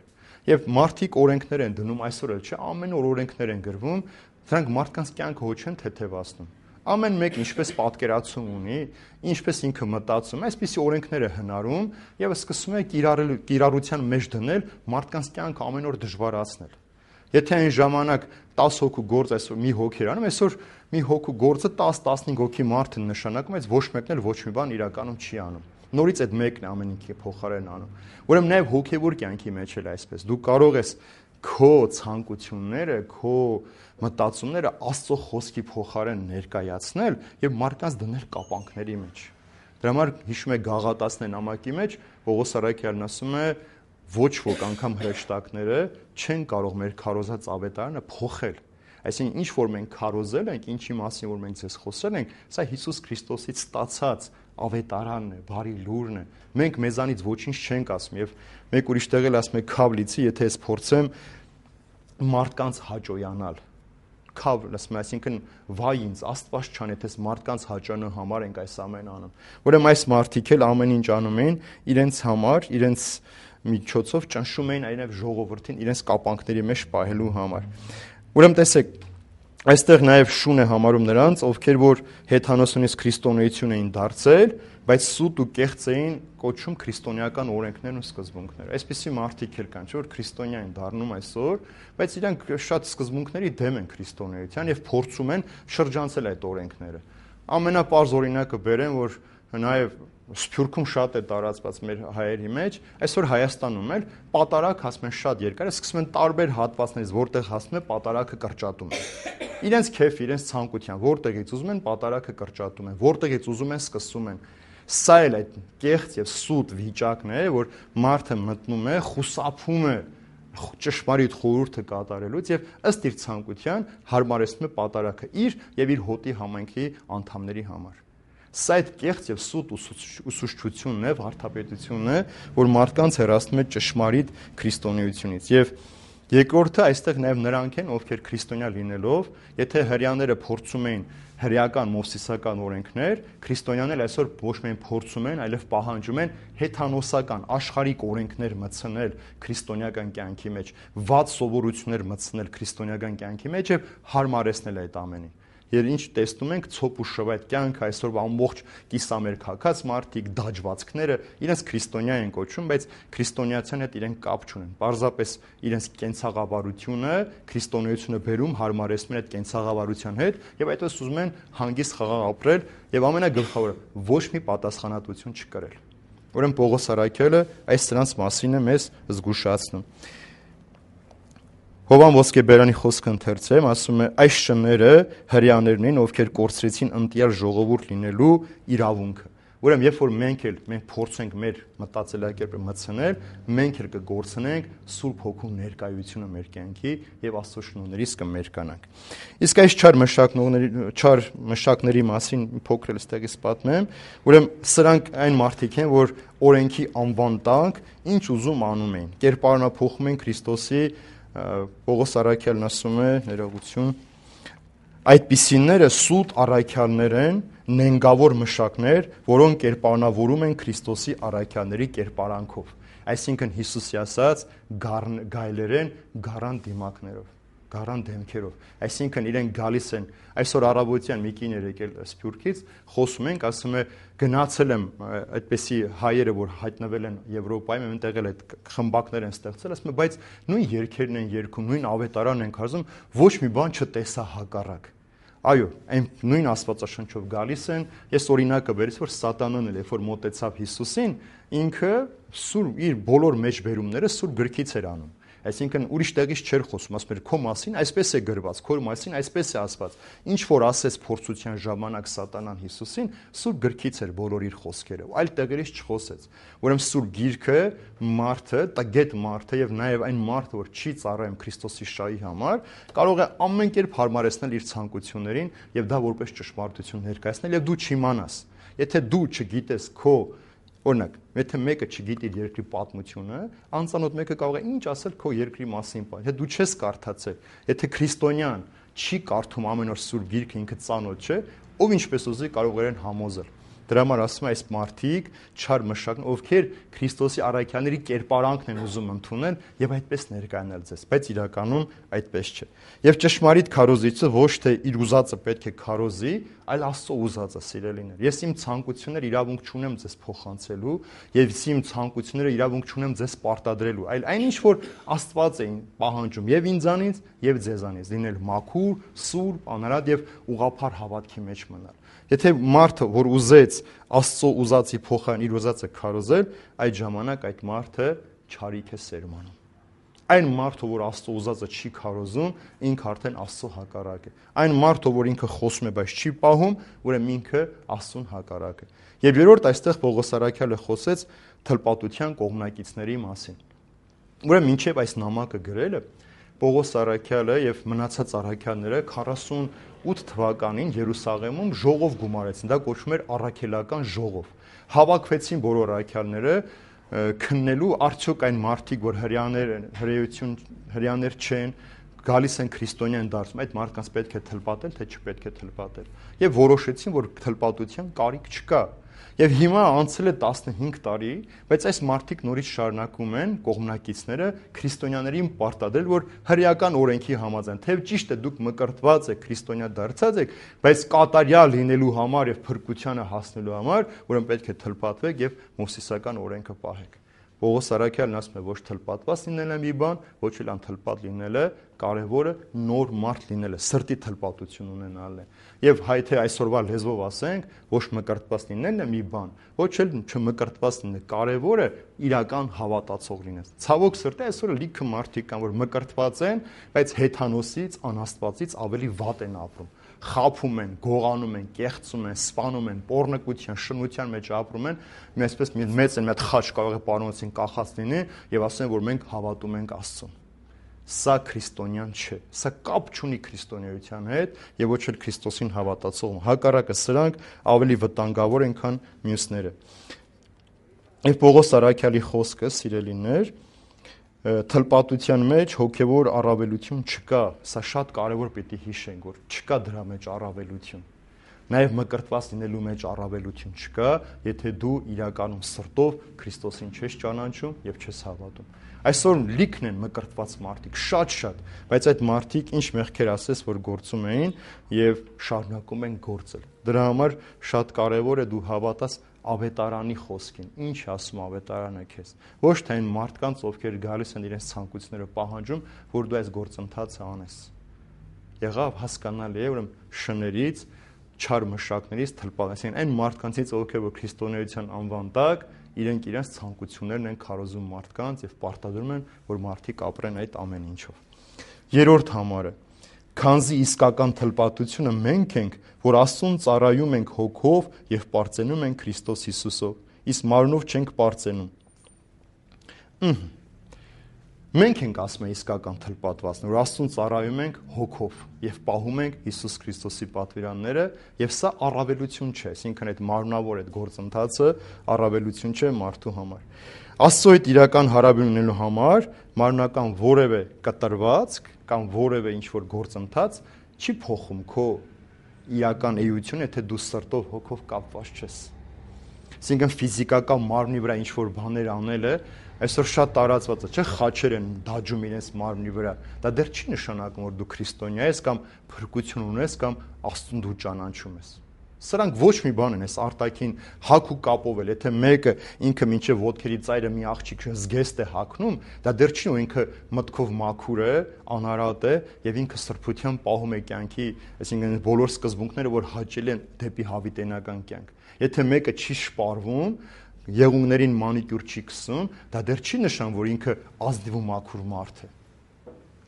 եւ մարդիկ օրենքներ են դնում այսօր էլ չէ ամեն օր օրենքներ են գրվում դրանք մարդկանց կյանքը ոչ են թեթևացնում ամեն մեկն ինչպես պատկերացում ունի ինչպես ինքը մտածում այսպիսի օրենքներ է հնարում եւ սկսում է կիրառության մեջ դնել մարդկանց կյանքը ամեն օր դժվարացնել եթե այն ժամանակ տասը հոգու գործ այսօր մի հոգի էր անում այսօր մի հոգու գործը տասը տասնհինգ հոգի մարդ է նշանակում այս ոչ մեկն էլ ոչ մի բան իրականում չի անում նորից այդ մեկն է ամեն ինչի փոխարեն անում ուրեմն նաև հոգևոր կյանքի մեջ էլ այսպես դու կարող ես քո ցանկությունները քո մտածումները Աստծո խոսքի փոխարեն ներկայացնել եւ մարդկանց դնել կապանքների մեջ դրա համար հիշում եք Գաղատացիների նամակի մեջ Պողոս Սարաքյանն ասում է ոչ ոք անգամ հրեշտակները չեն կարող մեր քարոզած ավետարանը փոխել այսինքն ինչ որ մենք քարոզել ենք ինչի մասին որ մենք ձեզ խոսել ենք սա Հիսուս Քրիստոսից ստացած ավետարանն է բարի լուրն է մենք մեզանից ոչինչ չենք ասում եւ մեկ ուրիշ տեղ էլ ասում է քավլիցի եթե ես փորձեմ մարդկանց հաճոյանալ քավ ասում այսինքն վայ ինձ Աստված չան եթե մարդկանց հաճանու համար ենք այս ամենը անում ուրեմն այս մարդիկ էլ ամեն ինչ անում են իրենց համար իրենց միջոցով ճնշում էին այլև ժողովրդին իրենց կապանքների մեջ պահելու համար ուրեմն տեսեք այստեղ նաև շուն է համարում նրանց ովքեր որ հեթանոսոնից քրիստոնեություն էին դարձել բայց սուտ ու կեղծ էին կոչում քրիստոնեական օրենքներն ու սկզբունքները այսպիսի մարդիկ էլ կան չէ որ քրիստոնյա են դառնում այսօր բայց իրանք շատ սկզբունքների դեմ են քրիստոնեության եւ փորձում են շրջանցել այդ օրենքները ամենապարզ օրինակը բերեմ որ նաև Սփյուռքում շատ է տարածված մեր հայերի մեջ, այսօր Հայաստանում էլ պատարակ ասում են շատ երկար է, սկսում են տարբեր հատվածներից, որտեղ հասնում է պատարակը կրճատում են։ Իրենց քեֆ, իրենց ցանկության, որտեղից ուզում են պատարակը կրճատում են, որտեղից ուզում են սկսում են։ Սա էլ այդ կեղծ եւ սուտ վիճակն է, որ մարդը մտնում է, խուսափում է ճշմարիտ խորհուրդը կատարելուց եւ ըստ իր ցանկության հարմարեցնում է պատարակը իր եւ իր հոտի համայնքի անդամների համար։ Սա այդ կեղծ եւ սուտ ուսուցչությունն է, վարդապետությունն է, որ մարդկանց հեռացնում է ճշմարիտ քրիստոնեությունից եւ Երկրորդը այստեղ նաև նրանք են, ովքեր քրիստոնյա լինելով, եթե հрьяաները փորձում էին հրեական մովսիսական օրենքներ, քրիստոնյաները այսօր ոչ միայն փորձում են, այլև պահանջում են հեթանոսական աշխարհիկ օրենքներ մտցնել քրիստոնեական կյանքի մեջ, վատ սովորություններ մտցնել քրիստոնեական կյանքի մեջ եւ հարմարեցնել այդ ամենին։ Եվ ինչ տեսնում ենք ցոփ ու շվ այդ կյանքը այսօր ամբողջ կիսամերկացած մարդիկ, դաջվածքները իրենց քրիստոնյա են կոչում, բայց քրիստոնեացիան հետ իրենք կապ չունեն։ Պարզապես իրենց կենցաղավարությունը, քրիստոնեությունը բերում հարմարեցնում են այդ կենցաղավարության հետ եւ այդպես ուզում են հանգիստ խաղաղ ապրել եւ ամենագլխավորը ոչ մի պատասխանատվություն չկրել։ Ուրեմն Պողոս առաքյալը այս սրանց մասին է մեզ զգուշացնում։ Հովան ոսկեբերանի խոսքը ընթերցեմ, ասում է այս շները հрьяաներն են, ովքեր կորցրեցին ընտյալ ժողովուրդ լինելու իրավունքը։ Ուրեմն երբ որ մենք էլ մենք փորձենք մեր մտածելակերպը մտցնել, մենք էլ կգործնենք Սուրբ Հոգու ներկայությունը մեր կյանքի եւ Աստծո շնորհներից կմերկանանք։ Իսկ այս չար մշակների չար մշակների մասին փոքր էլ ստեղից պատմեմ, ուրեմն սրանք այն մարդիկ են, որ օրենքի անվան տակ ինչ ուզում անում են, կերպարանափոխում են Քրիստոսի Պողոս առաքյալն ասում է ներողություն այդպիսիները սուտ առաքյալներ են, նենգավոր մշակներ, որոնք կերպարանավորում են Քրիստոսի առաքյալների կերպարանքով, այսինքն Հիսուսի ասած գայլերեն գարան դիմակներով, գարան դեմքերով, այսինքն իրենք գալիս են, այսօր առավոտյան մի կին էր եկել Սփյուռքից, խոսում ենք, ասում է գնացել եմ այդպեսի հայերը, որ հայտնվել են Եվրոպայում, այնտեղ էլ այդ խմբակներ են ստեղծել, ասում է, բայց նույն երգերն են երգում, նույն ավետարանն են քարոզում, ոչ մի բան չտեսա հակառակ։ Այո, այն նույն Աստվածաշնչով գալիս են, ես օրինակը բերեցի, որ Սատանան էլ երբ որ մոտեցավ Հիսուսին, ինքը սուր իր բոլոր մեջբերումները սուր գրքից էր անում։ Այսինքն ուրիշ տեղից չէր խոսում, ասում էր քո մասին այսպես է գրված, քո մասին այսպես է ասված։ Ինչ որ ասեց փորձության ժամանակ Սատանան Հիսուսին, սուր գրքից էր բոլոր իր խոսքերը, այլ տեղերից չխոսեց։ Ուրեմն սուր գիրքը մարդը, տգետ մարդը եւ նաեւ այն մարդը, որ չի ծառայում Քրիստոսի շահի համար, կարող է ամեն կերպ հարմարեցնել իր ցանկություններին եւ դա որպես ճշմարտություն ներկայացնել եւ դու չիմանաս։ Եթե դու չգիտես քո Օրինակ, եթե մեկը չգիտի երկրի պատմությունը, անծանոթ մեկը կարող է ինչ ասել քո երկրի մասին, եթե դու չես կարդացել, եթե քրիստոնյան չի կարդում ամեն օր սուրբ գիրքը, ինքը ծանոթ չէ, ով ինչպես ուզի կարող են համոզել։ Դրա համար ասում է այս մարդիկ չար մշակն, ովքեր Քրիստոսի առաքյալների կերպարանքն են ուզում ընդունել եւ այդպես ներկայանալ ձեզ, բայց իրականում այդպես չէ։ Եվ ճշմարիտ քարոզիչը ոչ թե իր ուզածը պետք է քարոզի, այլ Աստծո ուզածը, սիրելիներ։ Ես իմ ցանկությունները իրավունք չունեմ ձեզ փոխանցելու եւ իմ ցանկությունները իրավունք չունեմ ձեզ պարտադրելու, այլ այնինչ որ Աստված է պահանջում եւ ինձանից եւ ձեզանից լինել մաքուր, սուրբ, անարատ եւ ուղղափառ հավատքի մեջ մնալ։ Եթե մարդը, որ ուզեց Աստծո ուզածի փոխարեն իր ուզածը քարոզել, այդ ժամանակ այդ մարդը չարիք է սերմանում։ Այն մարդը, որ Աստծո ուզածը չի քարոզում, ինքը արդեն Աստծո հակառակ է։ Այն մարդը, որ ինքը խոսում է, բայց չի պահում, ուրեմն ինքը Աստծուն հակառակ է։ Եվ երրորդ այստեղ Պողոս առաքյալը խոսեց թլպատության կողմնակիցների մասին։ Ուրեմն մինչև այս նամակը գրելը Պողոս առաքյալը եւ մնացած առաքյալները քառասունութ թվականին Երուսաղեմում ժողով գումարեցին, դա կոչվում էր առաքելական ժողով։ Հավաքվեցին բոլոր առաքյալները քննելու արդյոք այն մարդիկ, որ հрьяաներ են, հրեություն հрьяաներ չեն, գալիս են քրիստոնյա են դարձում, այդ մարդկանց պետք է թլպատել, թե չպետք է թլպատել։ Եվ որոշեցին, որ թլպատության կարիք չկա։ Եվ հիմա անցել է տասնհինգ տարի, բայց այս մարդիկ նորից շարունակում են կողմնակիցները քրիստոնյաներին պարտադրել, որ հրեական օրենքի համաձայն, թեև ճիշտ է դուք մկրտված եք, քրիստոնյա դարձած եք, բայց կատարյալ լինելու համար եւ փրկությանը հասնելու համար, ուրեմն պետք է թլպատվեք եւ մովսիսական օրենքը պահեք։ Պողոս առաքյալն ասում է, ոչ թլպատված լինելը մի բան, ոչ էլ անթլպատ լինելը, կարևորը նոր մարդ լինելը, սրտի թլպատություն ունենալն է։ Եվ հայթե այսօրվա լեզվով ասենք, ոչ մկրտված լինելն է մի բան, ոչ էլ չմկրտված լինելը, կարևորը իրական հավատացող լինես։ Ցավոք սրտի այսօր լիքը մարդիկ կան, որ մկրտված են, բայց հեթանոսից, անաստվածից ավելի վատ են ապրում։ Խափում են, գողանում են, կեղծում են, սպանում են, պոռնկության, շնության մեջ ապրում են, մի այսպես մեծ են, մի հատ խաչ կարող է պարոնոցին կախած լինի եւ ասեն, որ մենք հավատում ենք Աստծուն։ Սա քրիստոնյան չէ, սա կապ չունի քրիստոնեության հետ եւ ոչ էլ Քրիստոսին հավատացող։ Հակառակը սրանք ավելի վտանգավոր են, քան մյուսները։ Եվ Պողոս առաքյալի խոսքը, սիրելիներ, թլպատության մեջ հոգևոր առավելություն չկա, սա շատ կարևոր պիտի հիշենք, որ չկա դրա մեջ առավելություն։ Նաև մկրտված լինելու մեջ առավելություն չկա, եթե դու իրականում սրտով Քրիստոսին չես ճանաչում եւ չես հավատում։ Այսօր լիքն են մկրտված մարդիկ, շատ-շատ, բայց այդ մարդիկ ինչ մեղքեր ասես, որ գործում էին եւ շարունակում են գործել։ Դրա համար շատ կարևոր է դու հավատաս ավետարանի խոսքին, ինչ ասում ավետարանը քեզ։ Ոչ թե այն մարդկանց, ովքեր գալիս են իրենց ցանկությունները պահանջում, որ դու այս գործընթացը անես։ Եղավ հասկանալի է, ուրեմն շներից, չար մշակներից թլպատեցին այն մարդկանցից, ովքեր որ քրիստոնեության անվան տակ իրենք իրենց ցանկություններն են քարոզում մարդկանց եւ պարտադրում են, որ մարդիկ ապրեն այդ ամեն ինչով։ Երրորդ համարը, քանզի իսկական թլպատությունը մենք ենք, որ Աստծուն ծառայում ենք հոգով եւ պարծենում ենք Քրիստոս Հիսուսով, իսկ մարմնով չենք պարծենում։ Մենք ենք ասում է իսկական թլպատվածն, որ Աստծուն ծառայում ենք հոգով եւ պահում ենք Հիսուս Քրիստոսի պատվիրանները, եւ սա առավելություն չէ, այսինքն այդ մարմնավոր այդ գործընթացը առավելություն չէ մարդու համար։ Աստծո հետ իրական հարաբերություն ունենալու համար մարմնական որևէ կտրվածք կամ որևէ ինչ որ գործընթաց չի փոխում քո իրական էությունը, եթե դու սրտով հոգով կապված չես։ Այսինքն ֆիզիկական մարմնի վրա ինչ որ բաներ անելը այսօր շատ տարածված է, չէ՞, խաչեր են դաջում իրենց մարմնի վրա։ Դա դեռ չի նշանակում, որ դու քրիստոնյա ես կամ փրկություն ունես կամ Աստծուն դու ճանաչում ես։ Սրանք ոչ մի բան են, այս արտաքին հակ ու կապով էլ, եթե մեկը ինքը մինչև ոտքերի ծայրը մի աղջիկ զգեստ է հագնում, դա դեռ չի ու ինքը մտքով մաքուր է, անարատ է եւ ինքը սրբության պահում է կյանքի, այսինքն բոլոր սկզբունքները, որ հաճելի են դեպի հավիտենական կյանք։ Եթե մեկը չի շպարվում, եղունգներին մանիկյուր չի քսում, դա դեռ չի նշան, որ ինքը ազնիվ ու մաքուր մարդ է։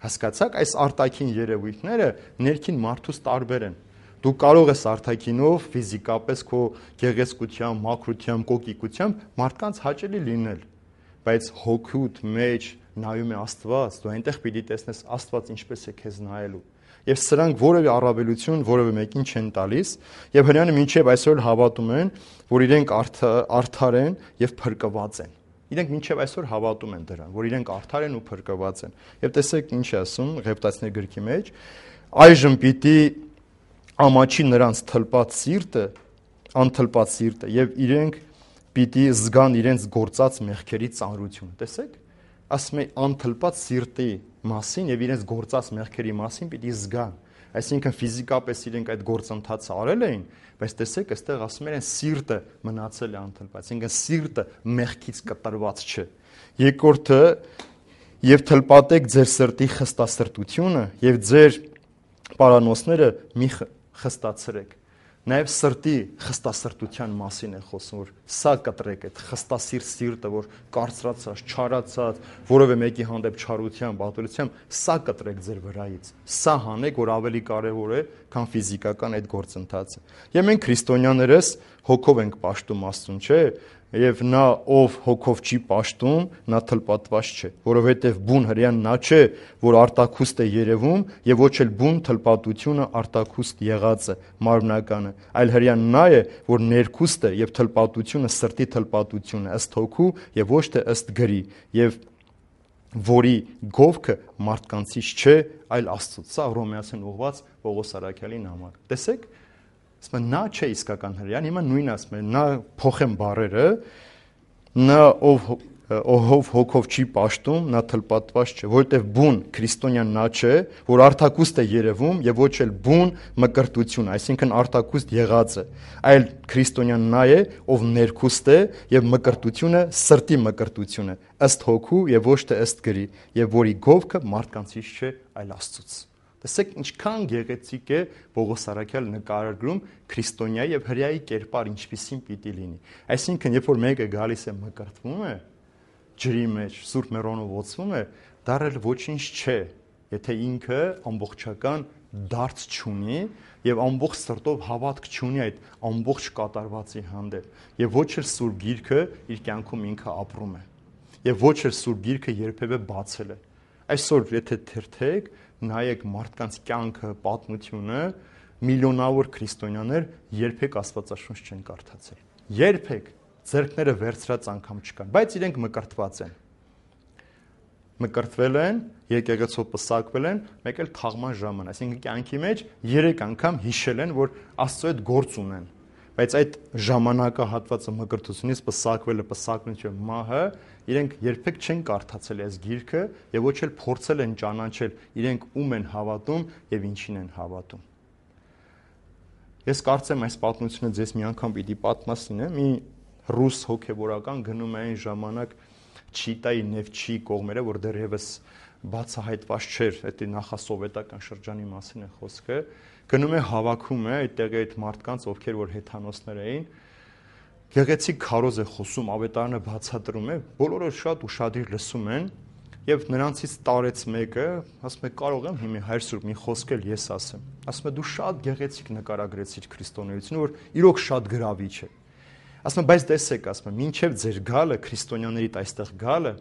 Հասկացաք, այս արտաքին երևույթները ներքին մարդուց տարբեր են։ Դու կարող ես արտաքինով ֆիզիկապես քո գեղեցկությամբ, մաքրությամբ, կոկիկությամբ մարդկանց հաճելի լինել, բայց հոգուդ մեջ նայում է Աստված, դու այնտեղ պիտի տեսնես Աստված ինչպես է քեզ նայելու։ Եվ սրանք որևէ առավելություն որևէ մեկին չեն տալիս, եւ հрьяանը մինչեւ այսօր հավատում են, որ իրենք արդար են եւ փրկված են։ Իրենք մինչեւ այսօր հավատում են դրան, որ իրենք արդար են ու փրկված են։ Եվ տեսեք ինչ է ասում Ղևտացիների գրքի մեջ, այժմ պիտի ամաչի նրանց թլպած սիրտը, անթլպած սիրտը, եւ իրենք պիտի զգան իրենց գործած մեղքերի ծանրությունը։ Տեսեք, ասում է անթլպած սիրտի մասին եւ իրենց գործած մեղքերի մասին պիտի զգան։ Այսինքն ֆիզիկապես իրենք այդ գործընթացը արել էին, բայց տեսեք, այստեղ ասում են սիրտը մնացել է անթլպած, այսինքն սիրտը մեղքից կտրված չէ։ Երկրորդը, եւ թլպատեք ձեր սրտի խստասրտությունը եւ ձեր պարանոցները մի խստացրեք։ Նաև սրտի խստասրտության մասին է խոսում, որ սա կտրեք, այդ խստասիրտ սիրտը, որ կարծրացած, չարացած, որևէ մեկի հանդեպ չարությամբ, ատելությամբ, սա կտրեք ձեր վրայից։ Սա հանեք, որ ավելի կարևոր է, քան ֆիզիկական այդ գործընթացը։ Եվ մենք քրիստոնյաներս հոգով ենք պաշտում Աստծուն, չէ՞։ Եվ նա ով հոգով չի պաշտում, նա թլպատված չէ, որովհետև բուն հрьяան նա չէ, որ արտաքուստ է երևում, եւ ոչ էլ բուն թլպատությունը արտաքուստ եղածը, մարմնականը, այլ հрьяան նա է, որ ներքուստ է եւ թլպատությունը սրտի թլպատությունը ըստ հոգու եւ ոչ թե ըստ գրի, եւ որի գովքը մարդկանցից չէ, այլ Աստծուց։ Սա Հռոմեացին ուղված Պողոս Արաքյալին համար։ Տեսեք, ասում նա չէ իսկական հрьяան, հիմա նույնն ասում է, նա փոխեմ բառերը, նա ով ով հոգով չի պաշտում, նա թլպատված չէ, որովհետև բուն քրիստոնյան նա չէ, որ արտաքուստ է երևում եւ ոչ էլ բուն մկրտություն, այսինքն արտաքուստ եղածը, այլ քրիստոնյան նա է, ով ներքուստ է եւ մկրտությունը սրտի մկրտությունը, ըստ հոգու եւ ոչ թե ըստ գրի, եւ որի գովքը մարդկանցից չէ, այլ Աստծուց։ Տեսեք ինչքան գեղեցիկ է Պողոս Արաքյալը նկարագրում քրիստոնյայի եւ հрьяայի կերպար ինչպիսին պիտի լինի։ Այսինքն, երբ որ մեկը գալիս է մկրտվում է, ջրի մեջ, Սուրբ Մեռոնով ոցվում է, դա էլ ոչինչ չէ, եթե ինքը ամբողջական դարձ չունի եւ ամբողջ սրտով հավատք չունի այդ ամբողջ կատարվածի հանդեպ եւ ոչ էլ Սուրբ Գիրքը իր կյանքում ինքը ապրում է եւ ոչ էլ Սուրբ Գիրքը երբեւե բացել է։ Այսօր եթե թերթեք, նայեք մարդկանց կյանքը, պատմությունը, միլիոնավոր քրիստոնյաներ երբեք Աստվածաշունչ չեն կարդացել։ Երբեք ձեռքները վերցրած անգամ չկան, բայց իրենք մկրտված են։ մկրտվել են, եկեղեցով պսակվել են, մեկ էլ թաղման ժամանակ, այսինքն կյանքի մեջ երեք անգամ հիշել են, որ Աստծո հետ գործ ունեն։ Բայց այդ ժամանակահատվածը մկրտությունից պսակվելը, պսակնությունը, մահը, իրենք երբեք չեն կարդացել այս գիրքը եւ ոչ էլ փորձել են ճանաչել իրենք ում են հավատում եւ ինչին են հավատում։ Ես կարծեմ այս պատմությունը ձեզ մի անգամ պիտի պատմասին, մի ռուս հոգեվորական գնում է այն ժամանակ Չիտայի Նևչի կողմերը, որ դեռևս բացահայտված չէր, այդ նախասովետական շրջանի մասին է խոսքը, գնում է հավաքում է այդտեղի այդ մարդկանց, ովքեր որ հեթանոսներ էին, գեղեցիկ քարոզ է խոսում, ավետարանը բացատրում է, բոլորը շատ ուշադիր լսում են եւ նրանցից տարեց մեկը, ասում է կարող եմ հիմա Հայր Սուրբ մի խոսք էլ ես ասեմ։ Ասում է դու շատ գեղեցիկ նկարագրեցիր քրիստոնեությունը, որ իրոք շատ գրավիչ է։ Ասում եմ, բայց տեսեք, ասում եմ, մինչև ձեր գալը, քրիստոնյաներիդ այստեղ գալը,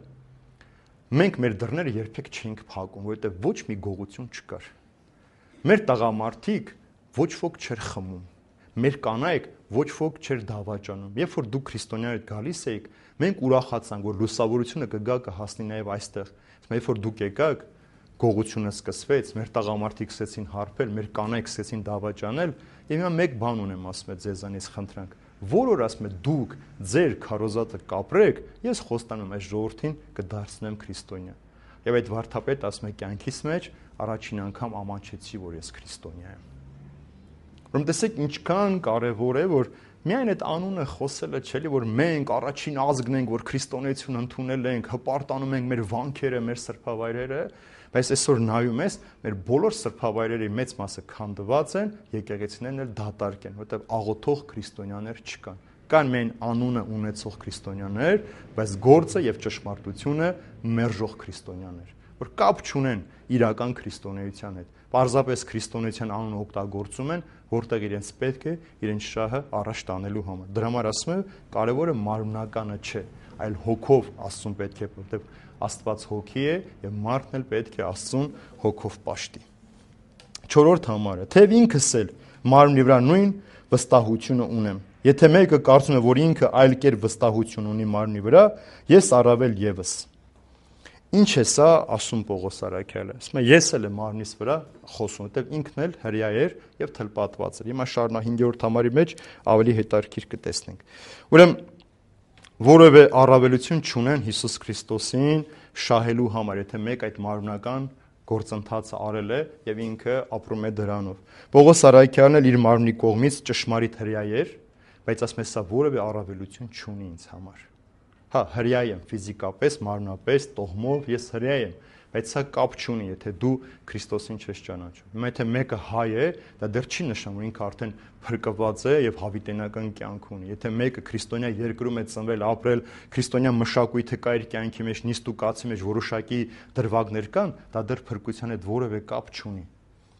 մենք մեր դռները երբեք չենք փակում, որովհետև ոչ մի գողություն չկար։ Մեր տղամարդիկ ոչ ոք չէր խմում, մեր կանայք ոչ ոք չէր դավաճանում։ Երբ որ դուք քրիստոնյաներդ գալիս էիք, մենք ուրախացանք, որ լուսավորությունը կգա կհասնի նաև այստեղ։ Ասում եմ, երբ որ դուք եկաք, գողությունը սկսվեց, մեր տղամարդիկ սկսեցին հարբել, մեր կանայք սկսեցին դավաճանել, եւ հիմա մեկ բան ունեմ, ասում եմ, ձեզանից խնդրանք, որ որ ասում եմ դուք ձեր քարոզատը կապրեք, ես խոստանում եմ այս ժողովրդին կդարձնեմ քրիստոնյա։ Եվ այդ վարդապետը ասում է կյանքիս մեջ առաջին անգամ ամանչեցի, որ ես քրիստոնյա եմ։ Ուրեմն տեսեք ինչքան կարևոր է, որ միայն այդ անունը խոսելը չէ, որ մենք առաջին ազգն ենք, որ քրիստոնեություն ընդունել ենք, հպարտանում ենք մեր վանքերը, մեր սրբավայրերը, բայց այսօր նայում ես, մեր բոլոր սրբավայրերի մեծ մասը քանդված են, եկեղեցիներն էլ դատարկ են, որտեղ աղոթող քրիստոնյաներ չկան։ Կան մեն անունը ունեցող քրիստոնյաներ, բայց գործը եւ ճշմարտությունը մերժող քրիստոնյաներ, որ կապ չունեն իրական քրիստոնեության հետ։ Պարզապես քրիստոնեության անունը օգտագործում են, որտեղ իրենց պետք է իրենց շահը առաջ տանելու համար։ Դրա համար ասում եմ, կարևորը մարմնականը չէ, այլ հոգով Աստծուն պետք է, որտեղ Աստված հոգի է եւ մարդն էլ պետք է Աստծուն հոգով պաշտի։ Չորրորդ համարը, թեև ինքս էլ մարմնի վրա նույն վստահությունը ունեմ։ Եթե մեկը կարծում է, որ ինքը այլ կերպ վստահություն ունի մարմնի վրա, ես առավել եւս։ Ինչ է սա, ասում Պողոս Արաքյալը։ Ասում է, ես էլ եմ մարմնիս վրա խոսում, որտեղ ինքն էլ հրյա էր եւ թլպատված էր։ Հիմա շարունա հինգերորդ համարի մեջ ավելի հետաքրքիր կտեսնենք։ Ուրեմն որևէ առավելություն չունեն Հիսուս Քրիստոսին շահելու համար, եթե մեկ այդ մարմնական գործընթացը արել է եւ ինքը ապրում է դրանով։ Պողոս Արաքյալն էլ իր մարմնի կողմից ճշմարիտ հրյա էր, բայց ասում է սա որևէ առավելություն չունի ինձ համար։ Հա, հրյա եմ ֆիզիկապես, մարմնապես, տոհմով ես հրյա եմ, բայց սա կապ չունի, եթե դու Քրիստոսին չես ճանաչում։ Հիմա եթե մեկը հայ է, դա դեռ չի նշանակում, որ ինքը արդեն փրկված է եւ հավիտենական կյանք ունի։ Եթե մեկը քրիստոնյա երկրում է ծնվել, ապրել, քրիստոնյա մշակույթը կա իր կյանքի մեջ, նիստուկացի մեջ որոշակի դրվագներ կան, դա դեռ փրկության հետ որևէ կապ չունի։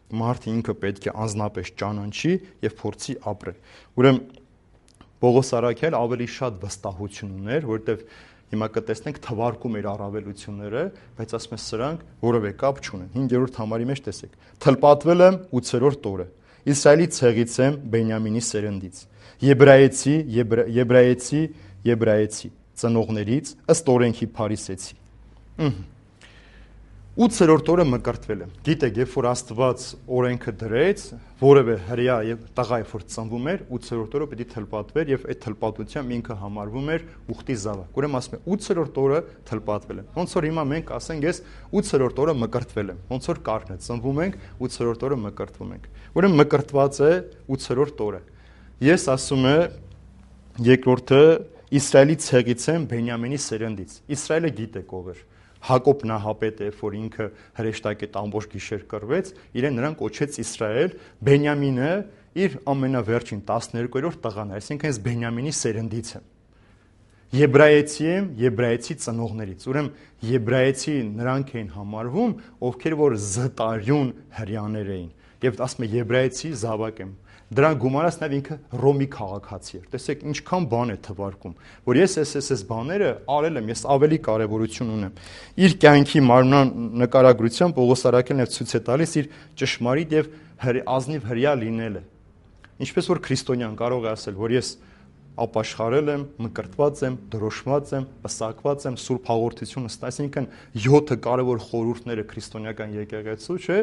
Մարդը ինքը պետք է անձնապես ճանաչի եւ փորձի ապրել։ Ուրեմն Պողոս Արաքյալը ավելի շատ վստահություն ուներ, որովհետև հիմա կտեսնենք թվարկում իր առավելությունները, բայց ասում է սրանք որևէ կապ չունեն։ հինգերորդ համարի մեջ տեսեք։ Թլպատվել եմ ութերորդ օրը։ Իսրայելի ցեղից եմ, Բենյամինի սերնդից։ Եբրայեցի, եբրայեցի, եբրայեցի ծնողներից ըստ օրենքի փարիսեցի։ ութերորդ օրը մկրտվել եմ։ Գիտեք, երբ որ Աստված օրենքը դրեց, որևէ հրյա եւ տղա երբ որ ծնվում էր, ութերորդ օրը պետք է թլպատվեր եւ այդ թլպատությամբ ինքը համարվում էր ուխտի զավակ։ Ուրեմն ասում է ութերորդ օրը թլպատվել եմ։ Ոնց որ հիմա մենք ասենք ես ութերորդ օրը մկրտվել եմ։ Ոնց որ կարգն է, ծնվում ենք, ութերորդ օրը մկրտվում ենք։ Ուրեմն մկրտված է ութերորդ օրը։ Ես ասում է երկրորդը Իսրայելի ցեղից եմ, Բենյամինի սերնդից։ Իսրայելը գիտեք ով էր։ Հակոբ նահապետը, երբ որ ինքը հրեշտակ այդ ամբողջ գիշեր կռվեց, իրեն նրան կոչեց Իսրայել, Բենյամինը իր ամենավերջին տասներկուերորդ տղան է, այսինքն ես Բենյամինի սերնդից եմ։ Եբրայեցի եմ, եբրայեցի ծնողներից։ Ուրեմն եբրայեցի նրանք էին համարվում, ովքեր որ զտարյուն հрьяաներ էին։ Եվ ասում է եբրայեցի զավակ եմ։ Դրան գումարած նաև ինքը Ռոմի քաղաքացի էր։ Տեսեք ինչքան բան է թվարկում, որ ես ես ես ես բաները արել եմ, ես ավելի կարևորություն ունեմ։ Իր կյանքի մարմնան նկարագրությամբ Պողոս Արաքյալն է ցույց է տալիս իր ճշմարիտ եւ ազնիվ հրյա լինելը։ Ինչպես որ քրիստոնյան կարող է ասել, որ ես ապաշխարել եմ, մկրտված եմ, դրոշմած եմ, պսակված եմ, սուրբ հաղորդությունը ստա, այսինքն յոթ կարևոր խորհուրդները քրիստոնեական եկեղեցու, չէ՞,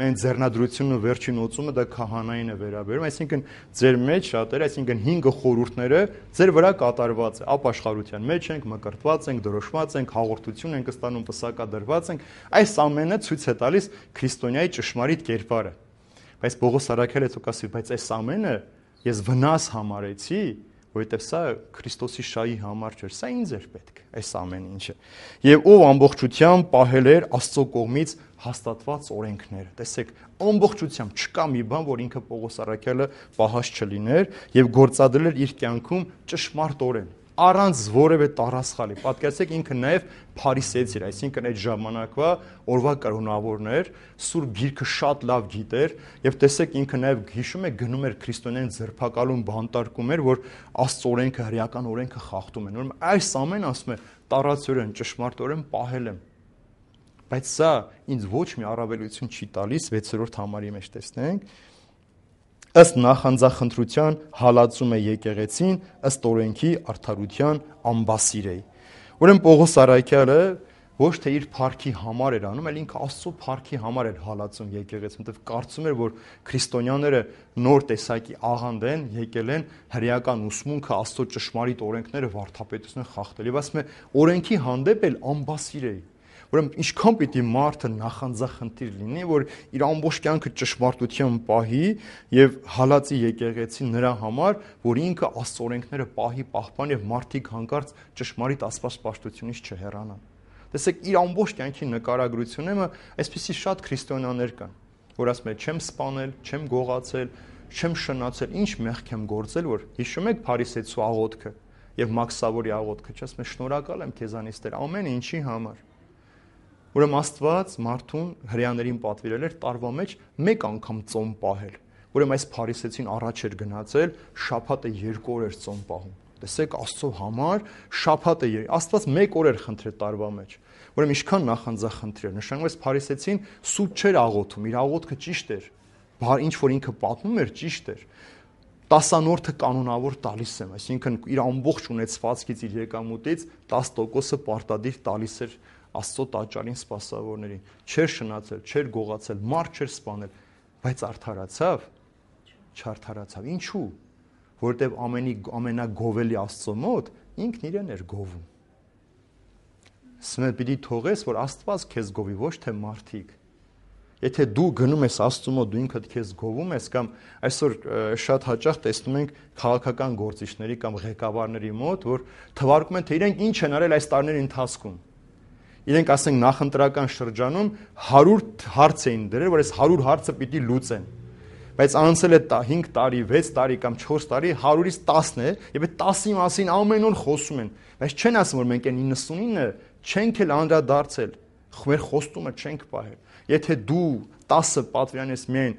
մեն ձեռնադրությունը վերջին օծումը դա քահանային է վերաբերում, այսինքն ձեր մեջ շատերը, այսինքն հինգ խորհուրդները ձեր վրա կատարված է, ապաշխարության մեջ ենք, մկրտված ենք, դրոշմած ենք, հաղորդություն ենք ստանում, պսակադրված ենք, այս ամենը ցույց է տալիս քրիստոնյայի ճշմարիտ կերպարը։ Բայց Պողոս առաքյալը ցույց բայց այս ամենը ես վնաս համարեցի, որովհետև սա Քրիստոսի շահի համար չէր, սա ինձ էր պետք, այս ամեն ինչը։ Եվ ով ամբողջությամբ պահել էր Աստծո կողմից հաստատված օրենքները։ Տեսեք, ամբողջությամբ չկա մի բան, որ ինքը Պողոս առաքյալը պահած չլիներ եւ գործադրել էր իր կյանքում ճշմարտորեն, առանց որևէ տարասխալի։ Պատկերացրեք, ինքը նաև փարիսեցի էր, այսինքն այդ ժամանակվա օրվա կրոնավորներ, Սուրբ Գիրքը շատ լավ գիտեր, եւ տեսեք ինքը նաև հիշում է գնում էր քրիստոնեան ձերբակալում, բանտարկում էր, որ Աստծո օրենքը, հրեական օրենքը խախտում են։ Ուրեմն այս ամեն ասում է տարածորեն, ճշմարտորեն պահել եմ։ Բայց սա ինձ ոչ մի առավելություն չի տալիս, վեցերորդ համարի մեջ տեսնենք։ Ըստ նախանձախնդրության հալածում է եկեղեցին, ըստ օրենքի արդարության ամբասիրեի։ Ուրեմն Պողոս առաքյալը ոչ թե իր փառքի համար էր անում, այլ ինքը Աստծո փառքի համար էր հալածում եկեղեցին, որտեղ կարծում էր, որ քրիստոնյաները նոր տեսակի աղանդ են, եկել են հրեական ուսմունքը, Աստծո ճշմարիտ օրենքները վարդապետությունը խախտել։ Եվ ասում է, օրենքի հանդեպ էլ ամբասիրեի։ Ուրեմն ինչքան պիտի մարդը նախանձախնդիր լինի, որ իր ամբողջ կյանքը ճշմարտությամբ պահի եւ հալածի եկեղեցին նրա համար, որ ինքը Աստծո օրենքները պահի, պահպանի եւ մարդիկ հանկարծ ճշմարիտ աստվածպաշտությունից չհեռանան։ Տեսեք, իր ամբողջ կյանքի նկարագրությունը այսպեսի շատ քրիստոնյաներ կան, որ ասում են, չեմ սպանել, չեմ գողացել, չեմ շնացել, ինչ մեղք եմ գործել, որ հիշում եք Փարիսեցու աղոթքը եւ Մաքսավորի աղոթքը, չասում են, շնորհակալ եմ քեզանից Տեր, ամեն ինչի համար։ Ուրեմն Աստված մարդուն հրեաներին պատվիրել էր տարվա մեջ մեկ անգամ ծոմ պահել։ Ուրեմն այս Փարիսեցին առաջ էր գնացել, շաբաթը երկու օր էր ծոմ պահում։ Տեսեք, Աստծո համար շաբաթը Աստված մեկ օր էր խնդրել տարվա մեջ։ Ուրեմն ինչքան նախանձախնդիր էր, նշանակում է Փարիսեցին սուտ չէր աղոթում, իր աղոթքը ճիշտ էր։ Ինչ որ ինքը պատմում էր, ճիշտ էր։ Տասանորդը կանոնավոր տալիս եմ, այսինքն իր ամբողջ ունեցվածքից, իր եկամուտից տասը տոկոսը պարտադիր տալիս էր Աստծո տաճարին սպասավորներին, չէր շնացել, չէր գողացել, մարդ չէր սպանել, բայց արդարացավ, չարդարացավ։ Ինչու՞։ Որտեւ ամենի ամենագովելի Աստծո մոտ ինքն իրեն էր գովում։ Սմետ պիտի թողես, որ Աստված քեզ գովի, ոչ թե մարդիկ։ Եթե դու գնում ես Աստծո մոտ, դու ինքդ քեզ գովում ես, կամ այսօր շատ հաճախ տեսնում ենք քաղաքական գործիչների կամ ղեկավարների մոտ, որ թվարկում են, թե իրենք ինչ են արել այս տարիների ընթացքում։ Իրենք ասենք նախընտրական շրջանում հարյուր հարց էին դրել, որ այս հարյուր հարցը պիտի լուծեն։ Բայց անցել է հինգ տարի, վեց տարի կամ չորս տարի, հարյուրից տասն է, եւ այդ տասի մասին ամեն օր խոսում են։ Բայց չեն ասում, որ մենք այն իննսունինը չենք էլ անդրադարձել, մեր խոստումը չենք պահել։ Եթե դու տասը պատվիրանես միայն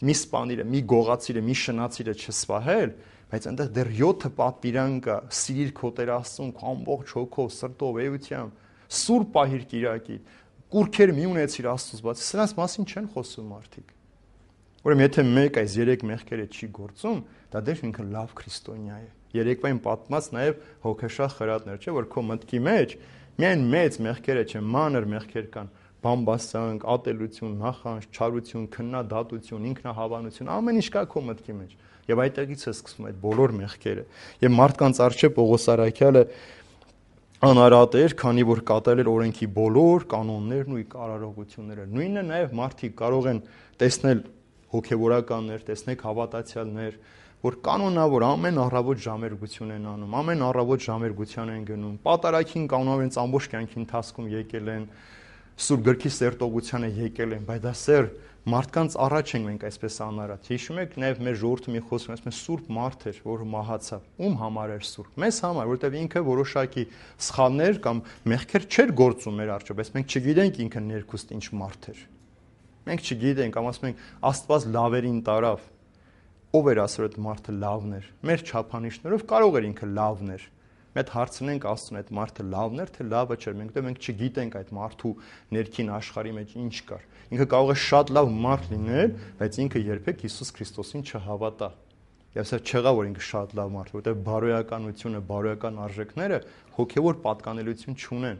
մի սպանիրը, մի գողացիրը, մի շնացիրը չսպահել, բայց այնտեղ դեռ յոթը պատվիրան կա, սիրիր քո Տեր Աստծուն, ամբողջ հոգով, սրտով, էությամբ, սուրբ պահիր կիրակի, կուրքեր մի ունեցիր Աստծուց բացի, սրանց մասին չեն խոսում մարդիկ։ Ուրեմն եթե մեկ այս երեք մեղքերը չի գործում, դա դեռ ինքը լավ քրիստոնյա է։ Երեկվային պատմած նաև հոգեշախ խրատներ, չէ՞ որ քո մտքի մեջ միայն մեծ մեղքերը չեն, մանր մեղքեր կան, բամբասանք, ատելություն, նախանձ, չարություն, քննադատություն, ինքնահավանություն, ամեն ինչ կա քո մտքի մեջ։ Եվ այդտեղից է սկսվում այդ բոլոր մեղքերը։ Եվ մարդկանց առջև Պողոս առաքյալը անարատ էր, քանի որ կատարել էր օրենքի բոլոր կանոններն ու կարարողությունները։ Նույնը նաև մարդիկ կարող են տեսնել հոգևորականներ, տեսնեք հավատացյալներ, որ կանոնավոր ամեն առավոտ ժամերգություն են անում, ամեն առավոտ ժամերգության են գնում, պատարագին կանոնավոր են ամբողջ կյանքի ընթացքում եկել են, Սուրբ Գրքի սերտողությանը եկել են, բայց դա սեր մարդկանց առաջ ենք մենք այսպես անարատ։ Հիշում եք նաև մեր ժողովրդի մի խոսքը, ասում են սուրբ մարդ էր, որ մահացավ։ Ում համար էր սուրբ։ Մեզ համար, որովհետև ինքը որոշակի սխալներ կամ մեղքեր չէր գործում մեր առջև, բայց մենք չգիտենք ինքը ներքուստ ինչ մարդ էր։ Մենք չգիտենք, կամ ասում ենք Աստված լավերին տարավ։ Ով էր ասել այդ մարդը լավն էր։ Մեր չափանիշներով կարող էր ինքը լավն էր։ Մենք հարցնենք Աստծուն, այդ մարդը լավն էր, թե լավը չէր։ Մենք դե մենք չգիտենք այդ մարդու ներքին աշխարհի մեջ ինչ կար։ Ինքը կարող է շատ լավ մարդ լինել, բայց ինքը երբեք Հիսուս Քրիստոսին չհավատա։ Եվ սա չեղա, որ ինքը շատ լավ մարդ, որտեղ բարոյականությունը, բարոյական արժեքները հոգևոր պատկանելություն չունեն։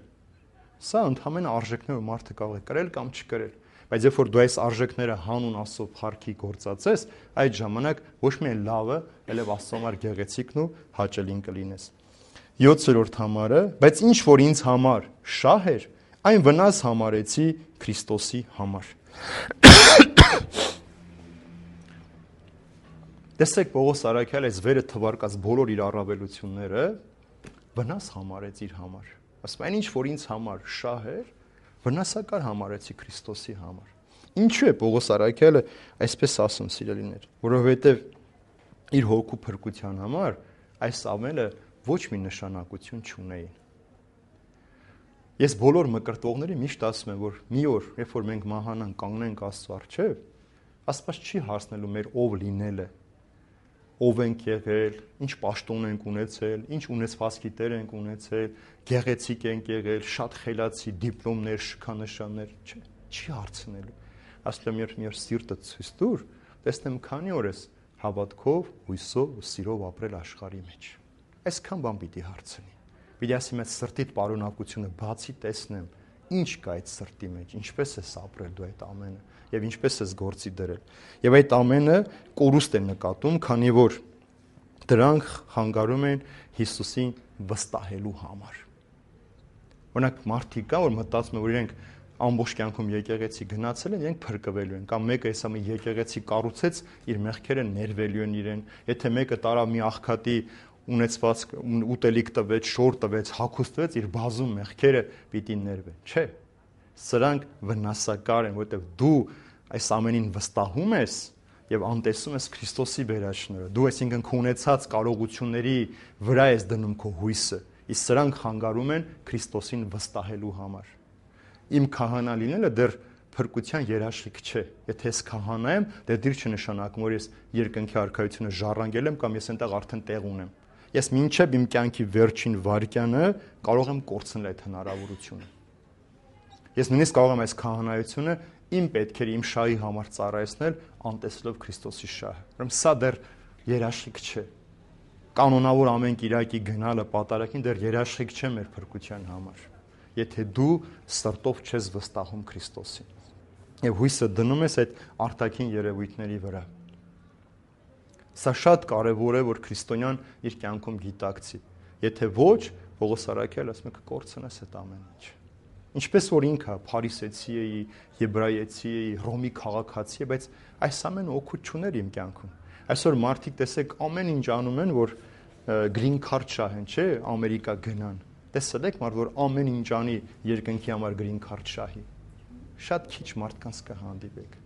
Սա ընդհանրապես արժեքներ, որ մարդը կարող է կրել կամ չկրել։ Բայց երբ որ դու այս արժեքները հանուն Աստծո փառքի գործածես, այդ ժամանակ ոչ միայն լավը, այլև Աստծո համար գեղեցիկն ու հաճելին կլինես։ յոթերորդ համարը, բայց ինչ որ ինձ համար շահ էր, այն վնաս համարեցի Քրիստոսի համար։ Տեսեք Պողոս Արաքյալը այս վերը թվարկած բոլոր իր առավելությունները վնաս համարեց իր համար։ Ասում այն ինչ որ ինձ համար շահ էր, վնասակար համարեցի Քրիստոսի համար։ Ինչու է Պողոս Արաքյալը այսպես ասում, սիրելիներ, որովհետև իր հոգու փրկության համար այս ամենը ոչ մի նշանակություն չունեին։ Ես բոլոր մկրտողների միշտ ասում եմ, որ մի օր, երբ որ մենք մահանանք, կանգնենք Աստծո առջև, Աստված չի հարցնելու մեր ով լինելը, ով ենք եղել, ինչ պաշտոն ենք ունեցել, ինչ ունեցվածքի տեր ենք ունեցել, գեղեցիկ ենք եղել, շատ խելացի դիպլոմներ, շքանշաններ, չէ, չի հարցնելու։ Ասում եմ, երբ սիրտը ցույց տուր, տեսնեմ քանի օր ես հավատքով, հույսով ու սիրով ապրել աշխարհի մեջ։ Այսքան բան պիտի հարցնի։ Պիտի ասի մեծ սրտիդ պարունակությունը բացի տեսնեմ, ինչ կա այդ սրտի մեջ, ինչպես ես ապրել դու այդ ամենը եւ ինչպես ես գործի դրել։ Եվ այդ ամենը կորուստ է նկատում, քանի որ դրանք խանգարում են Հիսուսին վստահելու համար։ Օրինակ մարդիկ կան, որ մտածում են, որ իրենք ամբողջ կյանքում եկեղեցի գնացել են, իրենք փրկվելու են, կամ մեկը հեսա մի եկեղեցի կառուցեց, իր մեղքերը ներվելու են իրեն։ Եթե մեկը տարավ մի աղքատի ունեցված ուտելիք տվեց, շոր տվեց, հագուստվեց, իր բազում մեղքերը պիտի ներվեն։ Չէ։ Սրանք վնասակար են, որովհետև դու այս ամենին վստահում ես եւ անտեսում ես Քրիստոսի վերաշնորհը։ Դու այսինքն քո ունեցած կարողությունների վրա ես դնում քո հույսը, իսկ սրանք խանգարում են Քրիստոսին վստահելու համար։ Իմ քահանա լինելը դեռ փրկության երաշխիք չէ։ Եթե ես քահանա եմ, դե դեռ չնշանակում, որ ես երկնքի արքայությունը ժառանգել եմ կամ ես այնտեղ արդեն տեղ ունեմ։ Ես մինչև իմ կյանքի վերջին վայրկյանը կարող եմ կորցնել այդ հնարավորությունը։ Ես նույնիսկ կարող եմ այս քահանայությունը իմ պետքերի, իմ շահի համար ծառայեցնել, անտեսելով Քրիստոսի շահը։ Ուրեմն սա դեռ երաշխիք չէ։ Կանոնավոր ամեն կիրակի գնալը պատարագին դեռ երաշխիք չէ մեր փրկության համար, եթե դու սրտով չես վստահում Քրիստոսին եւ հույսը դնում ես այդ արտաքին երևույթների վրա։ Սա շատ կարևոր է, որ քրիստոնյան իր կյանքում գիտակցի։ Եթե ոչ, Պողոս Արաքյալը ասում է կկորցնես այդ ամեն ինչ։ Ինչպես որ ինքը փարիսեցի էի, եբրայեցի էի, Ռոմի քաղաքացի է, բայց այս ամենը օգուտ չուներ իմ կյանքում։ Այսօր մարդիկ տեսեք ամեն ինչ անում են, որ green card շահեն, չէ, Ամերիկա գնան։ Տեսել եք մարդ, որ ամեն ինչ անի երկնքի համար green card շահի։ Շատ քիչ մարդկանց կհանդիպեք։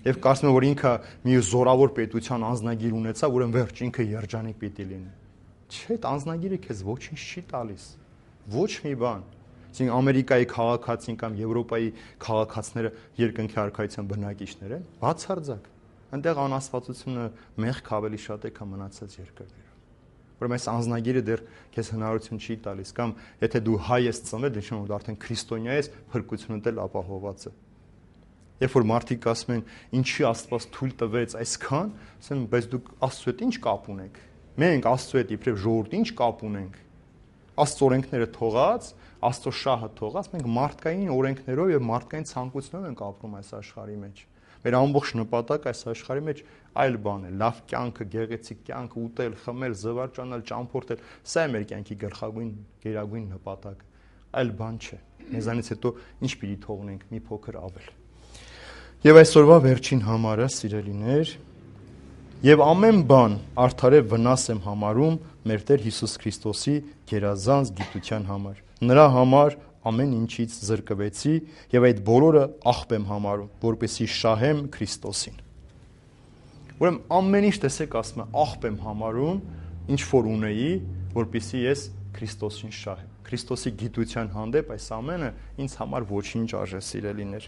Եվ կարծում եմ, որ ինքը մի զորավոր պետության անձնագիր ունեցա, ուրեմն վերջ ինքը երջանիկ պիտի լինի։ Չէ, այդ անձնագիրը քեզ ոչինչ չի տալիս։ Ոչ մի բան։ Այսինքն Ամերիկայի քաղաքացին կամ Եվրոպայի քաղաքացիները երկնքի արքայության բնակիչներ են, բացարձակ։ Այնտեղ անաստվածությունը մեղք ավելի շատ է, քան մնացած երկրներում։ Ուրեմն այս անձնագիրը դեռ քեզ հնարավորություն չի տալիս, կամ եթե դու հայ ես ծնվել, դե նշանակում է արդեն քրիստոնյա ես, փրկությունդ էլ ապահոված է։ Երբ որ մարդիկ ասում են, ինչի Աստված թույլ տվեց այսքան, ասեմ, բայց դուք Աստծո հետ ինչ կապ ունեք։ Մենք Աստծո հետ իբրև ժողովուրդ ինչ կապ ունենք։ Աստծո օրենքները թողած, Աստծո շահը թողած, մենք մարդկային օրենքներով եւ մարդկային ցանկություններով ենք ապրում այս աշխարհի մեջ։ Մեր ամբողջ նպատակը այս աշխարհի մեջ այլ բան է՝ լավ կյանքը, գեղեցիկ կյանքը, ուտել, խմել, զվարճանալ, ճամփորդել, սա է մեր կյանքի գլխավոր գերագույն նպատակը։ Այլ բան չէ։ Մեզանից հետո ինչ պիտի թողնենք՝ մի փոքր ավել։ Եվ այսօրվա վերջին համարը, սիրելիներ, եւ ամեն բան արդարե վնաս եմ համարում մեր Տեր Հիսուս Քրիստոսի գերազանց գիտության համար։ Նրա համար ամեն ինչից զրկվեցի եւ այդ բոլորը աղբ եմ համարում, որպեսզի շահեմ Քրիստոսին։ Ուրեմն ամեն ինչ տեսեք ասում է աղբ եմ համարում, ինչ որ ունեի, որպեսզի ես Քրիստոսին շահեմ։ Քրիստոսի գիտության հանդեպ այս ամենը ինձ համար ոչինչ արժե, սիրելիներ։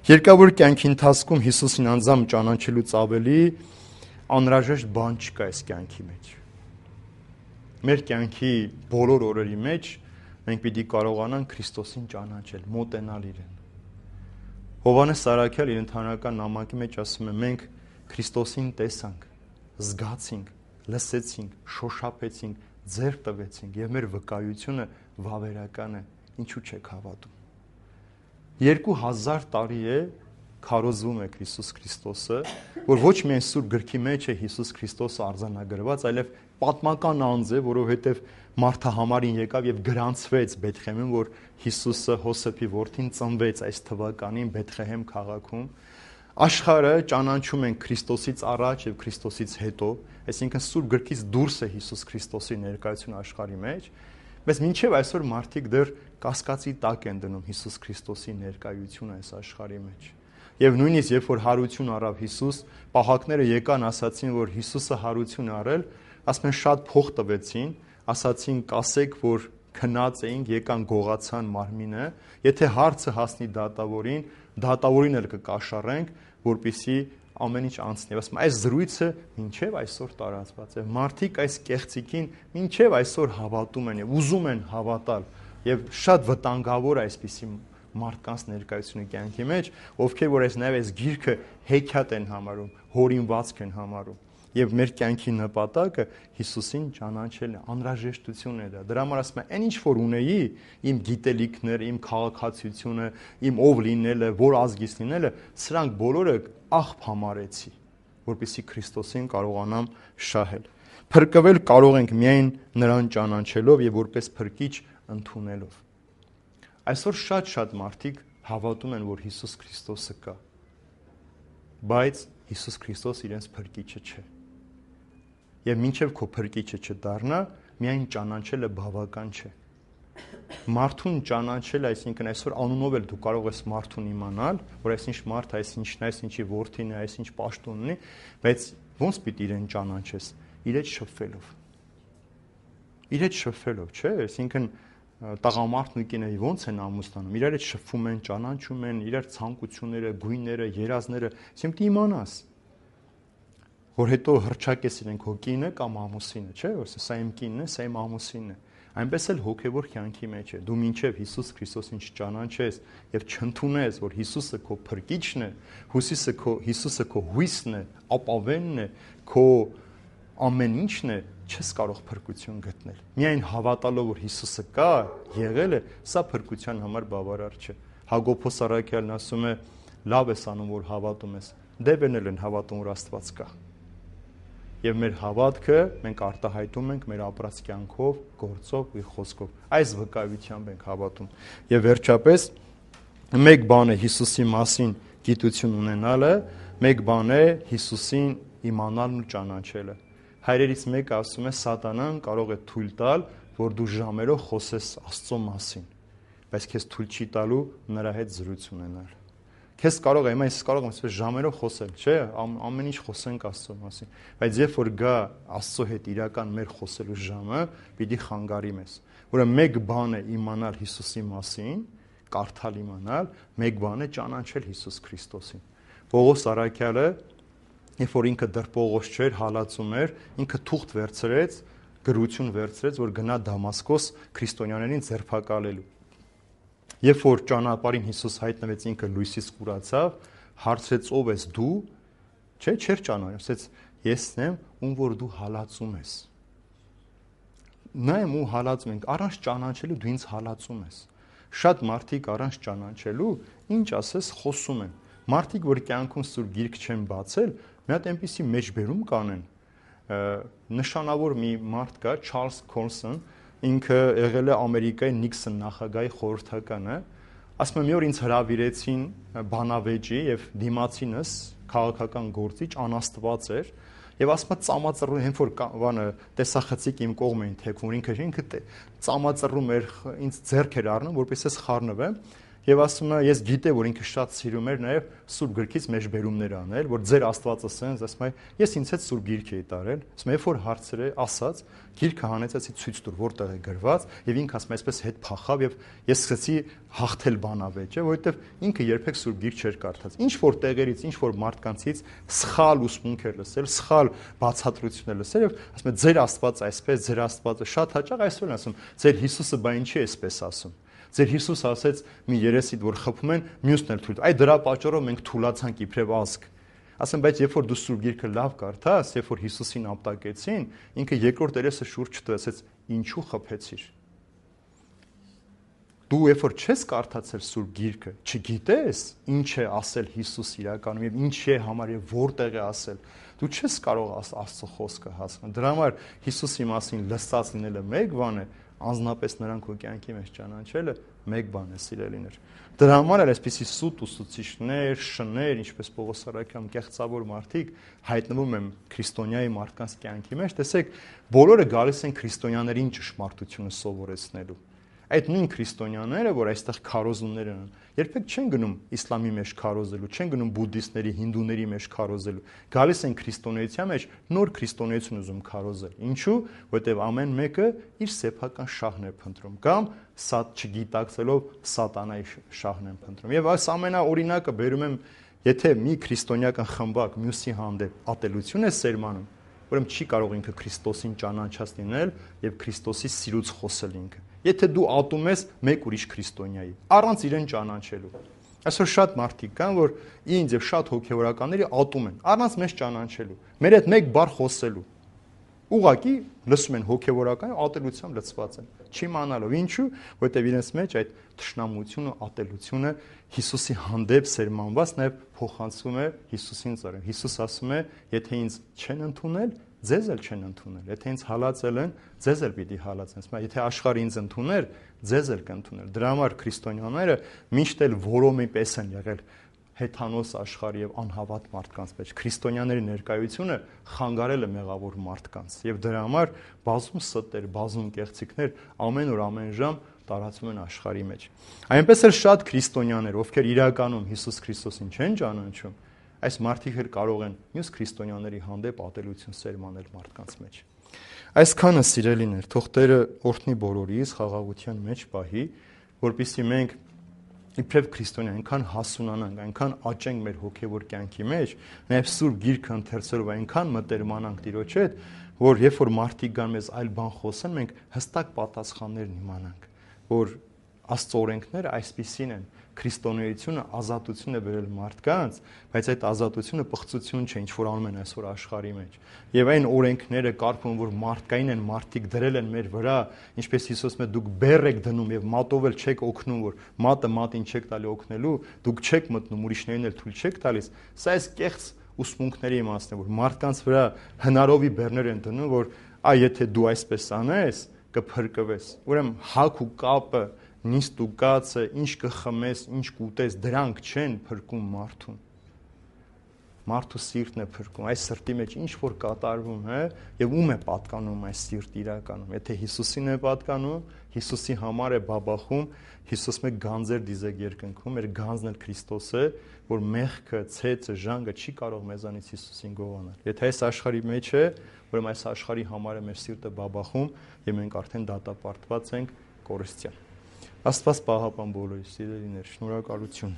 Երկավոր կյանքի ընթացքում Հիսուսին անձամբ ճանաչելուց ավելի անհրաժեշտ բան չկա այս կյանքի մեջ։ Մեր կյանքի բոլոր օրերի մեջ մենք պիտի կարողանանք Քրիստոսին ճանաչել, մոտենալ իրեն։ Հովհաննես Սարաքյալ իր ընդհանրական նամակի մեջ ասում է. մենք Քրիստոսին տեսանք, զգացինք լսեցինք, շոշափեցինք, ձեռք տվեցինք եւ մեր վկայությունը վավերական է, ինչու չեք հավատում։ երկու հազար տարի է քարոզվում է Հիսուս Քրիստոսը, որ ոչ միայն Սուրբ գրքի մեջ է Հիսուս Քրիստոսը արձանագրված, այլև պատմական անձ է, որովհետև մարդահամարին եկավ եւ գրանցվեց Բեթլեհեմում, որ Հիսուսը Հոսեփի որդին ծնվեց այս թվականին Բեթլեհեմ քաղաքում։ Աշխարհը ճանաչում են Քրիստոսից առաջ եւ Քրիստոսից հետո, այսինքն Սուրբ գրքից դուրս է Հիսուս Քրիստոսի ներկայությունը աշխարհի մեջ, բայց մինչեւ այսօր մարդիկ դեռ կասկածի տակ են դնում Հիսուս Քրիստոսի ներկայությունը այս աշխարհի մեջ։ Եվ նույնիսկ երբ որ հարություն առավ Հիսուս, պահակները եկան ասացին, որ Հիսուսը հարություն առել, ասում են շատ փող տվեցին, ասացին կասեք, որ քնած էինք, եկան գողացան մարմինը, եթե հարցը հասնի դատավորին, դատավորին էլ կկաշառենք, որպեսզի ամեն ինչ անցնի։ Ասում այս զրույցը մինչև այսօր տարածված է։ Մարդիկ այս կեղծիկին մինչև այսօր հավատում են եւ ուզում են հավատալ եւ շատ վտանգավոր է այսպիսի մարդկանց ներկայությունը կյանքի մեջ, ովքեր որ այս նաև այս գիրքը հեքիաթ են համարում, հորինվածք են համարում, եւ մեր կյանքի նպատակը Հիսուսին ճանաչելն է, անհրաժեշտությունն է դա։ Դրա համար ասում եմ, այն ինչ որ ունեի, իմ գիտելիքները, իմ քաղաքացիությունը, իմ ով լինելը, որ ազգից լինելը, սրանք բոլորը աղբ համարեցի, որպեսզի Քրիստոսին կարողանամ շահել։ Փրկվել կարող ենք միայն նրան ճանաչելով եւ որպես փրկիչ ընդունելով։ Այսօր շատ-շատ մարդիկ հավատում են, որ Հիսուս Քրիստոսը կա, բայց Հիսուս Քրիստոս իրենց փրկիչը չէ։ Եվ մինչև քո փրկիչը չդառնա, միայն ճանաչելը բավական չէ։ Մարդուն ճանաչելը, այսինքն այսօր անունով էլ դու կարող ես մարդուն իմանալ, որ այսինչ մարդ, այսինչն է, այսինչի որդին է, այսինչ պաշտոն ունի, բայց ո՞նց պիտի իրեն ճանաչես։ Իր հետ շփվելով։ Իր հետ շփվելով, չէ՞, այսինքն տղամարդն ու կինը ո՞նց են ամուսնանում, իրար հետ շփվում են, ճանաչում են, իրար ցանկությունները, գույները, երազները, այսինքն դու իմանաս, որ հետո հրճակես իրեն քո կինը կամ ամուսինը, չէ՞, որ սա իմ կինն է, սա իմ ամուսինն է։ Այնպես էլ հոգևոր կյանքի մեջ է։ Դու մինչև Հիսուս Քրիստոսին չճանաչես եւ չընդունես, որ Հիսուսը քո փրկիչն է, Հիսուսը քո Հիսուսը քո հույսն է, ապավենն է, քո ամեն ինչն է, չես կարող փրկություն գտնել։ Միայն հավատալով, որ Հիսուսը կա, եղել է, սա փրկության համար բավարար չէ։ Հակոբոս առաքյալն ասում է. լավ ես անում, որ հավատում ես։ Դեբերն էլ են հավատում, որ Աստված կա։ Եվ մեր հավատքը մենք արտահայտում ենք մեր ապրած կյանքով, գործով ու խոսքով։ Այս վկայությամբ ենք հավատում։ Եվ վերջապես մեկ բան է Հիսուսի մասին գիտություն ունենալը, մեկ բան է Հիսուսին իմանալն ու ճանաչելը։ Հայրերից մեկը ասում է սատանան կարող է թույլ տալ, որ դու ժամերով խոսես Աստծո մասին, բայց քեզ թույլ չի տալու նրա հետ զրույց ունենալ։ Քեզ կարող է, հիմա ես կարող եմ ասես ժամերով խոսել, չէ՞, ամեն ինչ խոսենք Աստծո մասին, բայց երբ որ գա Աստծո հետ իրական մեր խոսելու ժամը, պիտի խանգարի մեզ։ Որը մեկ բան է իմանալ Հիսուսի մասին, կարդալ իմանալ, մեկ բան է ճանաչել Հիսուս Քրիստոսին։ Պողոս առաքյալը, երբ որ ինքը դեռ Պողոս չէր, հալածում էր, ինքը թուղթ վերցրեց, գրություն վերցրեց, որ գնա Դամասկոս քրիստոնյաներին ձերբակալելու։ Երբ որ ճանապարհին Հիսուս հայտնվեց, ինքը լույսից կուրացավ, հարցրեց ով ես դու, չէ, չէր ճանաչում, ասեց եսն եմ, ում որ դու հալածում ես։ Նա եմ ու հալածում ենք, առանց ճանաչելու դու ինձ հալածում ես։ Շատ մարդիկ առանց ճանաչելու, ինչ ասես, խոսում են։ Մարդիկ, որ կյանքում Սուրբ Գիրք չեն բացել, մի հատ այնպիսի մեջբերում կանեն։ Նշանավոր մի մարդ կա, Չարլզ Քոլսոն, ինքը եղել է Ամերիկայի Նիքսոն նախագահի խորհրդականը, ասում եմ մի օր ինձ հրավիրեցին բանավեճի եւ դիմացինս քաղաքական գործիչ անաստված էր եւ ասում է ծամածռու հենց որ բանը տեսախցիկ իմ կողմ էին թեքվում ինքը ինքը ծամածռում էր ինձ ձեռք էր առնում որպես ես խառնվեմ եւ ասում է ես գիտե որ ինքը շատ սիրում էր նաեւ Սուրբ Գրքից մեջբերումներ անել որ ձեր Աստվածը սենց ասում է ես ինձ հետ Սուրբ Գիրք էի տարել ասում երբ որ հարցեր է ասած Գիրքը հանեցեցի ցույց տուր որտեղ է գրված եւ ինքը ասում է այսպես հետ փախավ եւ ես սկսեցի հաղթել բանավեճը որովհետեւ ինքը երբեք Սուրբ Գիրք չէր կարդաց ինչ որ տեղերից ինչ որ մարդկանցից սխալ ուսմունք էր լսել սխալ բացատրություն էր լսել եւ ասում է ձեր Աստվածը այսպես ձեր Աստվածը շատ հաճախ այսօր են ասում ձեր Հիսուսը բա ինչի է այսպես ասում Ձեր Հիսուս ասեց մի երեսիդ որ խփում են, մյուսն էլ թույլ։ Այ դրա պատճառով մենք թուլացանք իբրև ազգ։ Ասեմ, բայց երբ որ դու Սուրբ Գիրքը լավ կարդաս, երբ որ Հիսուսին ապտակեցին, ինքը երկրորդ երեսը շուրջ չտվեց, ասեց, ինչու խփեցիր։ Դու երբ որ չես կարդացել Սուրբ Գիրքը, չգիտես ինչ է ասել Հիսուս իրականում եւ ինչ է համար եւ որտեղ է ասել, դու չես կարող Աստծո խոսքը հասկանալ։ Դրա համար Հիսուսի մասին լսած լինելը մեկ բան է, անձնապես նրան քո կյանքի մեջ ճանաչելը մեկ բան է, սիրելիներ։ Դրա համար էլ այսպիսի սուտ ուսուցիչներ, շներ, ինչպես Պողոս Արաքյան, կեղծավոր մարդիկ հայտնվում են քրիստոնյայի մարդկանց կյանքի մեջ, տեսեք, բոլորը գալիս են քրիստոնյաներին ճշմարտությունը սովորեցնելու։ Այդ նույն քրիստոնյաները, որ այստեղ քարոզումներ են, երբեք չեն գնում իսլամի մեջ քարոզելու, չեն գնում բուդդիստների, հինդուների մեջ քարոզելու։ Գալիս են քրիստոնեության մեջ նոր քրիստոնեություն ուզում քարոզել։ Ինչու՞, որտեղ ամեն մեկը իր սեփական շահն է փնտրում, կամ սատ չգիտակցելով սատանայի շահն են փնտրում։ Եվ այս ամենաօրինակը բերում եմ, եթե մի քրիստոնեական խմբակ մյուսի հանդեպ ատելություն է սերմանում, ուրեմն չի կարող ինքը Քրիստոսին ճանաչած լինել եւ Քրիստոսի սիրուց խոսել ինքը։ Եթե դու ատում ես մեկ ուրիշ քրիստոնյայի, առանց իրեն ճանաչելու։ Այսօր շատ մարդիկ կան, որ ինձ եւ շատ հոգեվորականների ատում են, առանց մեզ ճանաչելու, մեր հետ մեկ բառ խոսելու։ Ուղղակի լսում են հոգեվորական ատելությամբ լցված են, չիմանալով ինչու, որտեղ իրենց մեջ այդ թշնամությունը, ատելությունը Հիսուսի հանդեպ սերմանված նաև փոխանցվում է Հիսուսին ծառայ։ Հիսուս ասում է, եթե ինձ չեն ընդունել, ձեզ էլ չեն ընդունել։ Եթե ինձ հալածել են, ձեզ էլ պիտի հալածեն։ Եթե աշխարհը ինձ ընդուներ, ձեզ էլ կընդուներ։ Դրա համար քրիստոնյաները միշտ էլ որոմի պես են եղել հեթանոս աշխարհի եւ անհավատ մարդկանց մեջ։ Քրիստոնյաների ներկայությունը խանգարել է մեղավոր մարդկանց եւ դրա համար բազում ստեր, բազում կեղծիքներ ամեն օր ամեն ժամ տարածվում են աշխարհի մեջ։ Այնպես էլ շատ քրիստոնյաներ, ովքեր իրականում Հիսուս Քրիստոսին չեն ճանաչում, այս մարդիկ էլ կարող են մյուս քրիստոնյաների հանդեպ ատելություն սերմանել մարդկանց մեջ։ Այսքանը սիրելիներ, թող Տերը օրհնի բոլորիս, խաղաղության մեջ պահի, որպեսզի մենք իբրև քրիստոնյա այնքան հասունանանք, այնքան աճենք մեր հոգևոր կյանքի մեջ, նաև Սուրբ Գիրքը ընթերցելով այնքան մտերմանանք Տիրոջ հետ, որ երբ որ մարդիկ գան մեզ այլ բան խոսեն, մենք հստակ պատասխաններն իմանանք, որ Աստծո օրենքները այսպիսին են, քրիստոնեությունը ազատություն է բերել մարդկանց, բայց այդ ազատությունը պղծություն չէ, ինչ որ անում են այսօր աշխարհի մեջ։ Եվ այն օրենքները կարգում, որ մարդկային են, մարդիկ դրել են մեր վրա, ինչպես Հիսուսը ասում է, դուք բեռ եք դնում եւ մատով էլ չեք օգնում, որ մատը մատին չեք տալի օգնելու, դուք չեք մտնում, ուրիշներին էլ թույլ չեք տալիս։ Սա այս կեղծ ուսմունքների իմաստն է, որ մարդկանց վրա հնարովի բեռներ են դնում, որ այ եթե դու այսպես անես, կփրկվես։ Ուրեմն հակ ու կապը, նիստ ու կացը, ինչ կխմես, ինչ կուտես, դրանք չեն փրկում մարդուն։ Մարդու սիրտն է փրկում, այս սրտի մեջ ինչ որ կատարվում է, եւ ում է պատկանում այս սիրտը իրականում։ Եթե Հիսուսին է պատկանում, Հիսուսի համար է բաբախում, Հիսուս մեկ գանձեր դիզեք երկնքում, մեր գանձն էլ Քրիստոս է, որ մեղքը, ցեցը, ժանգը չի կարող մեզանից Հիսուսին գողանալ։ Եթե այս աշխարհի մեջ է, ուրեմն այս աշխարհի համար է մեր սիրտը բաբախում, եւ մենք արդեն դատապարտված ենք կորստյան։ Աստված պահապան բոլորիս, սիրելիներ, շնորհակալություն։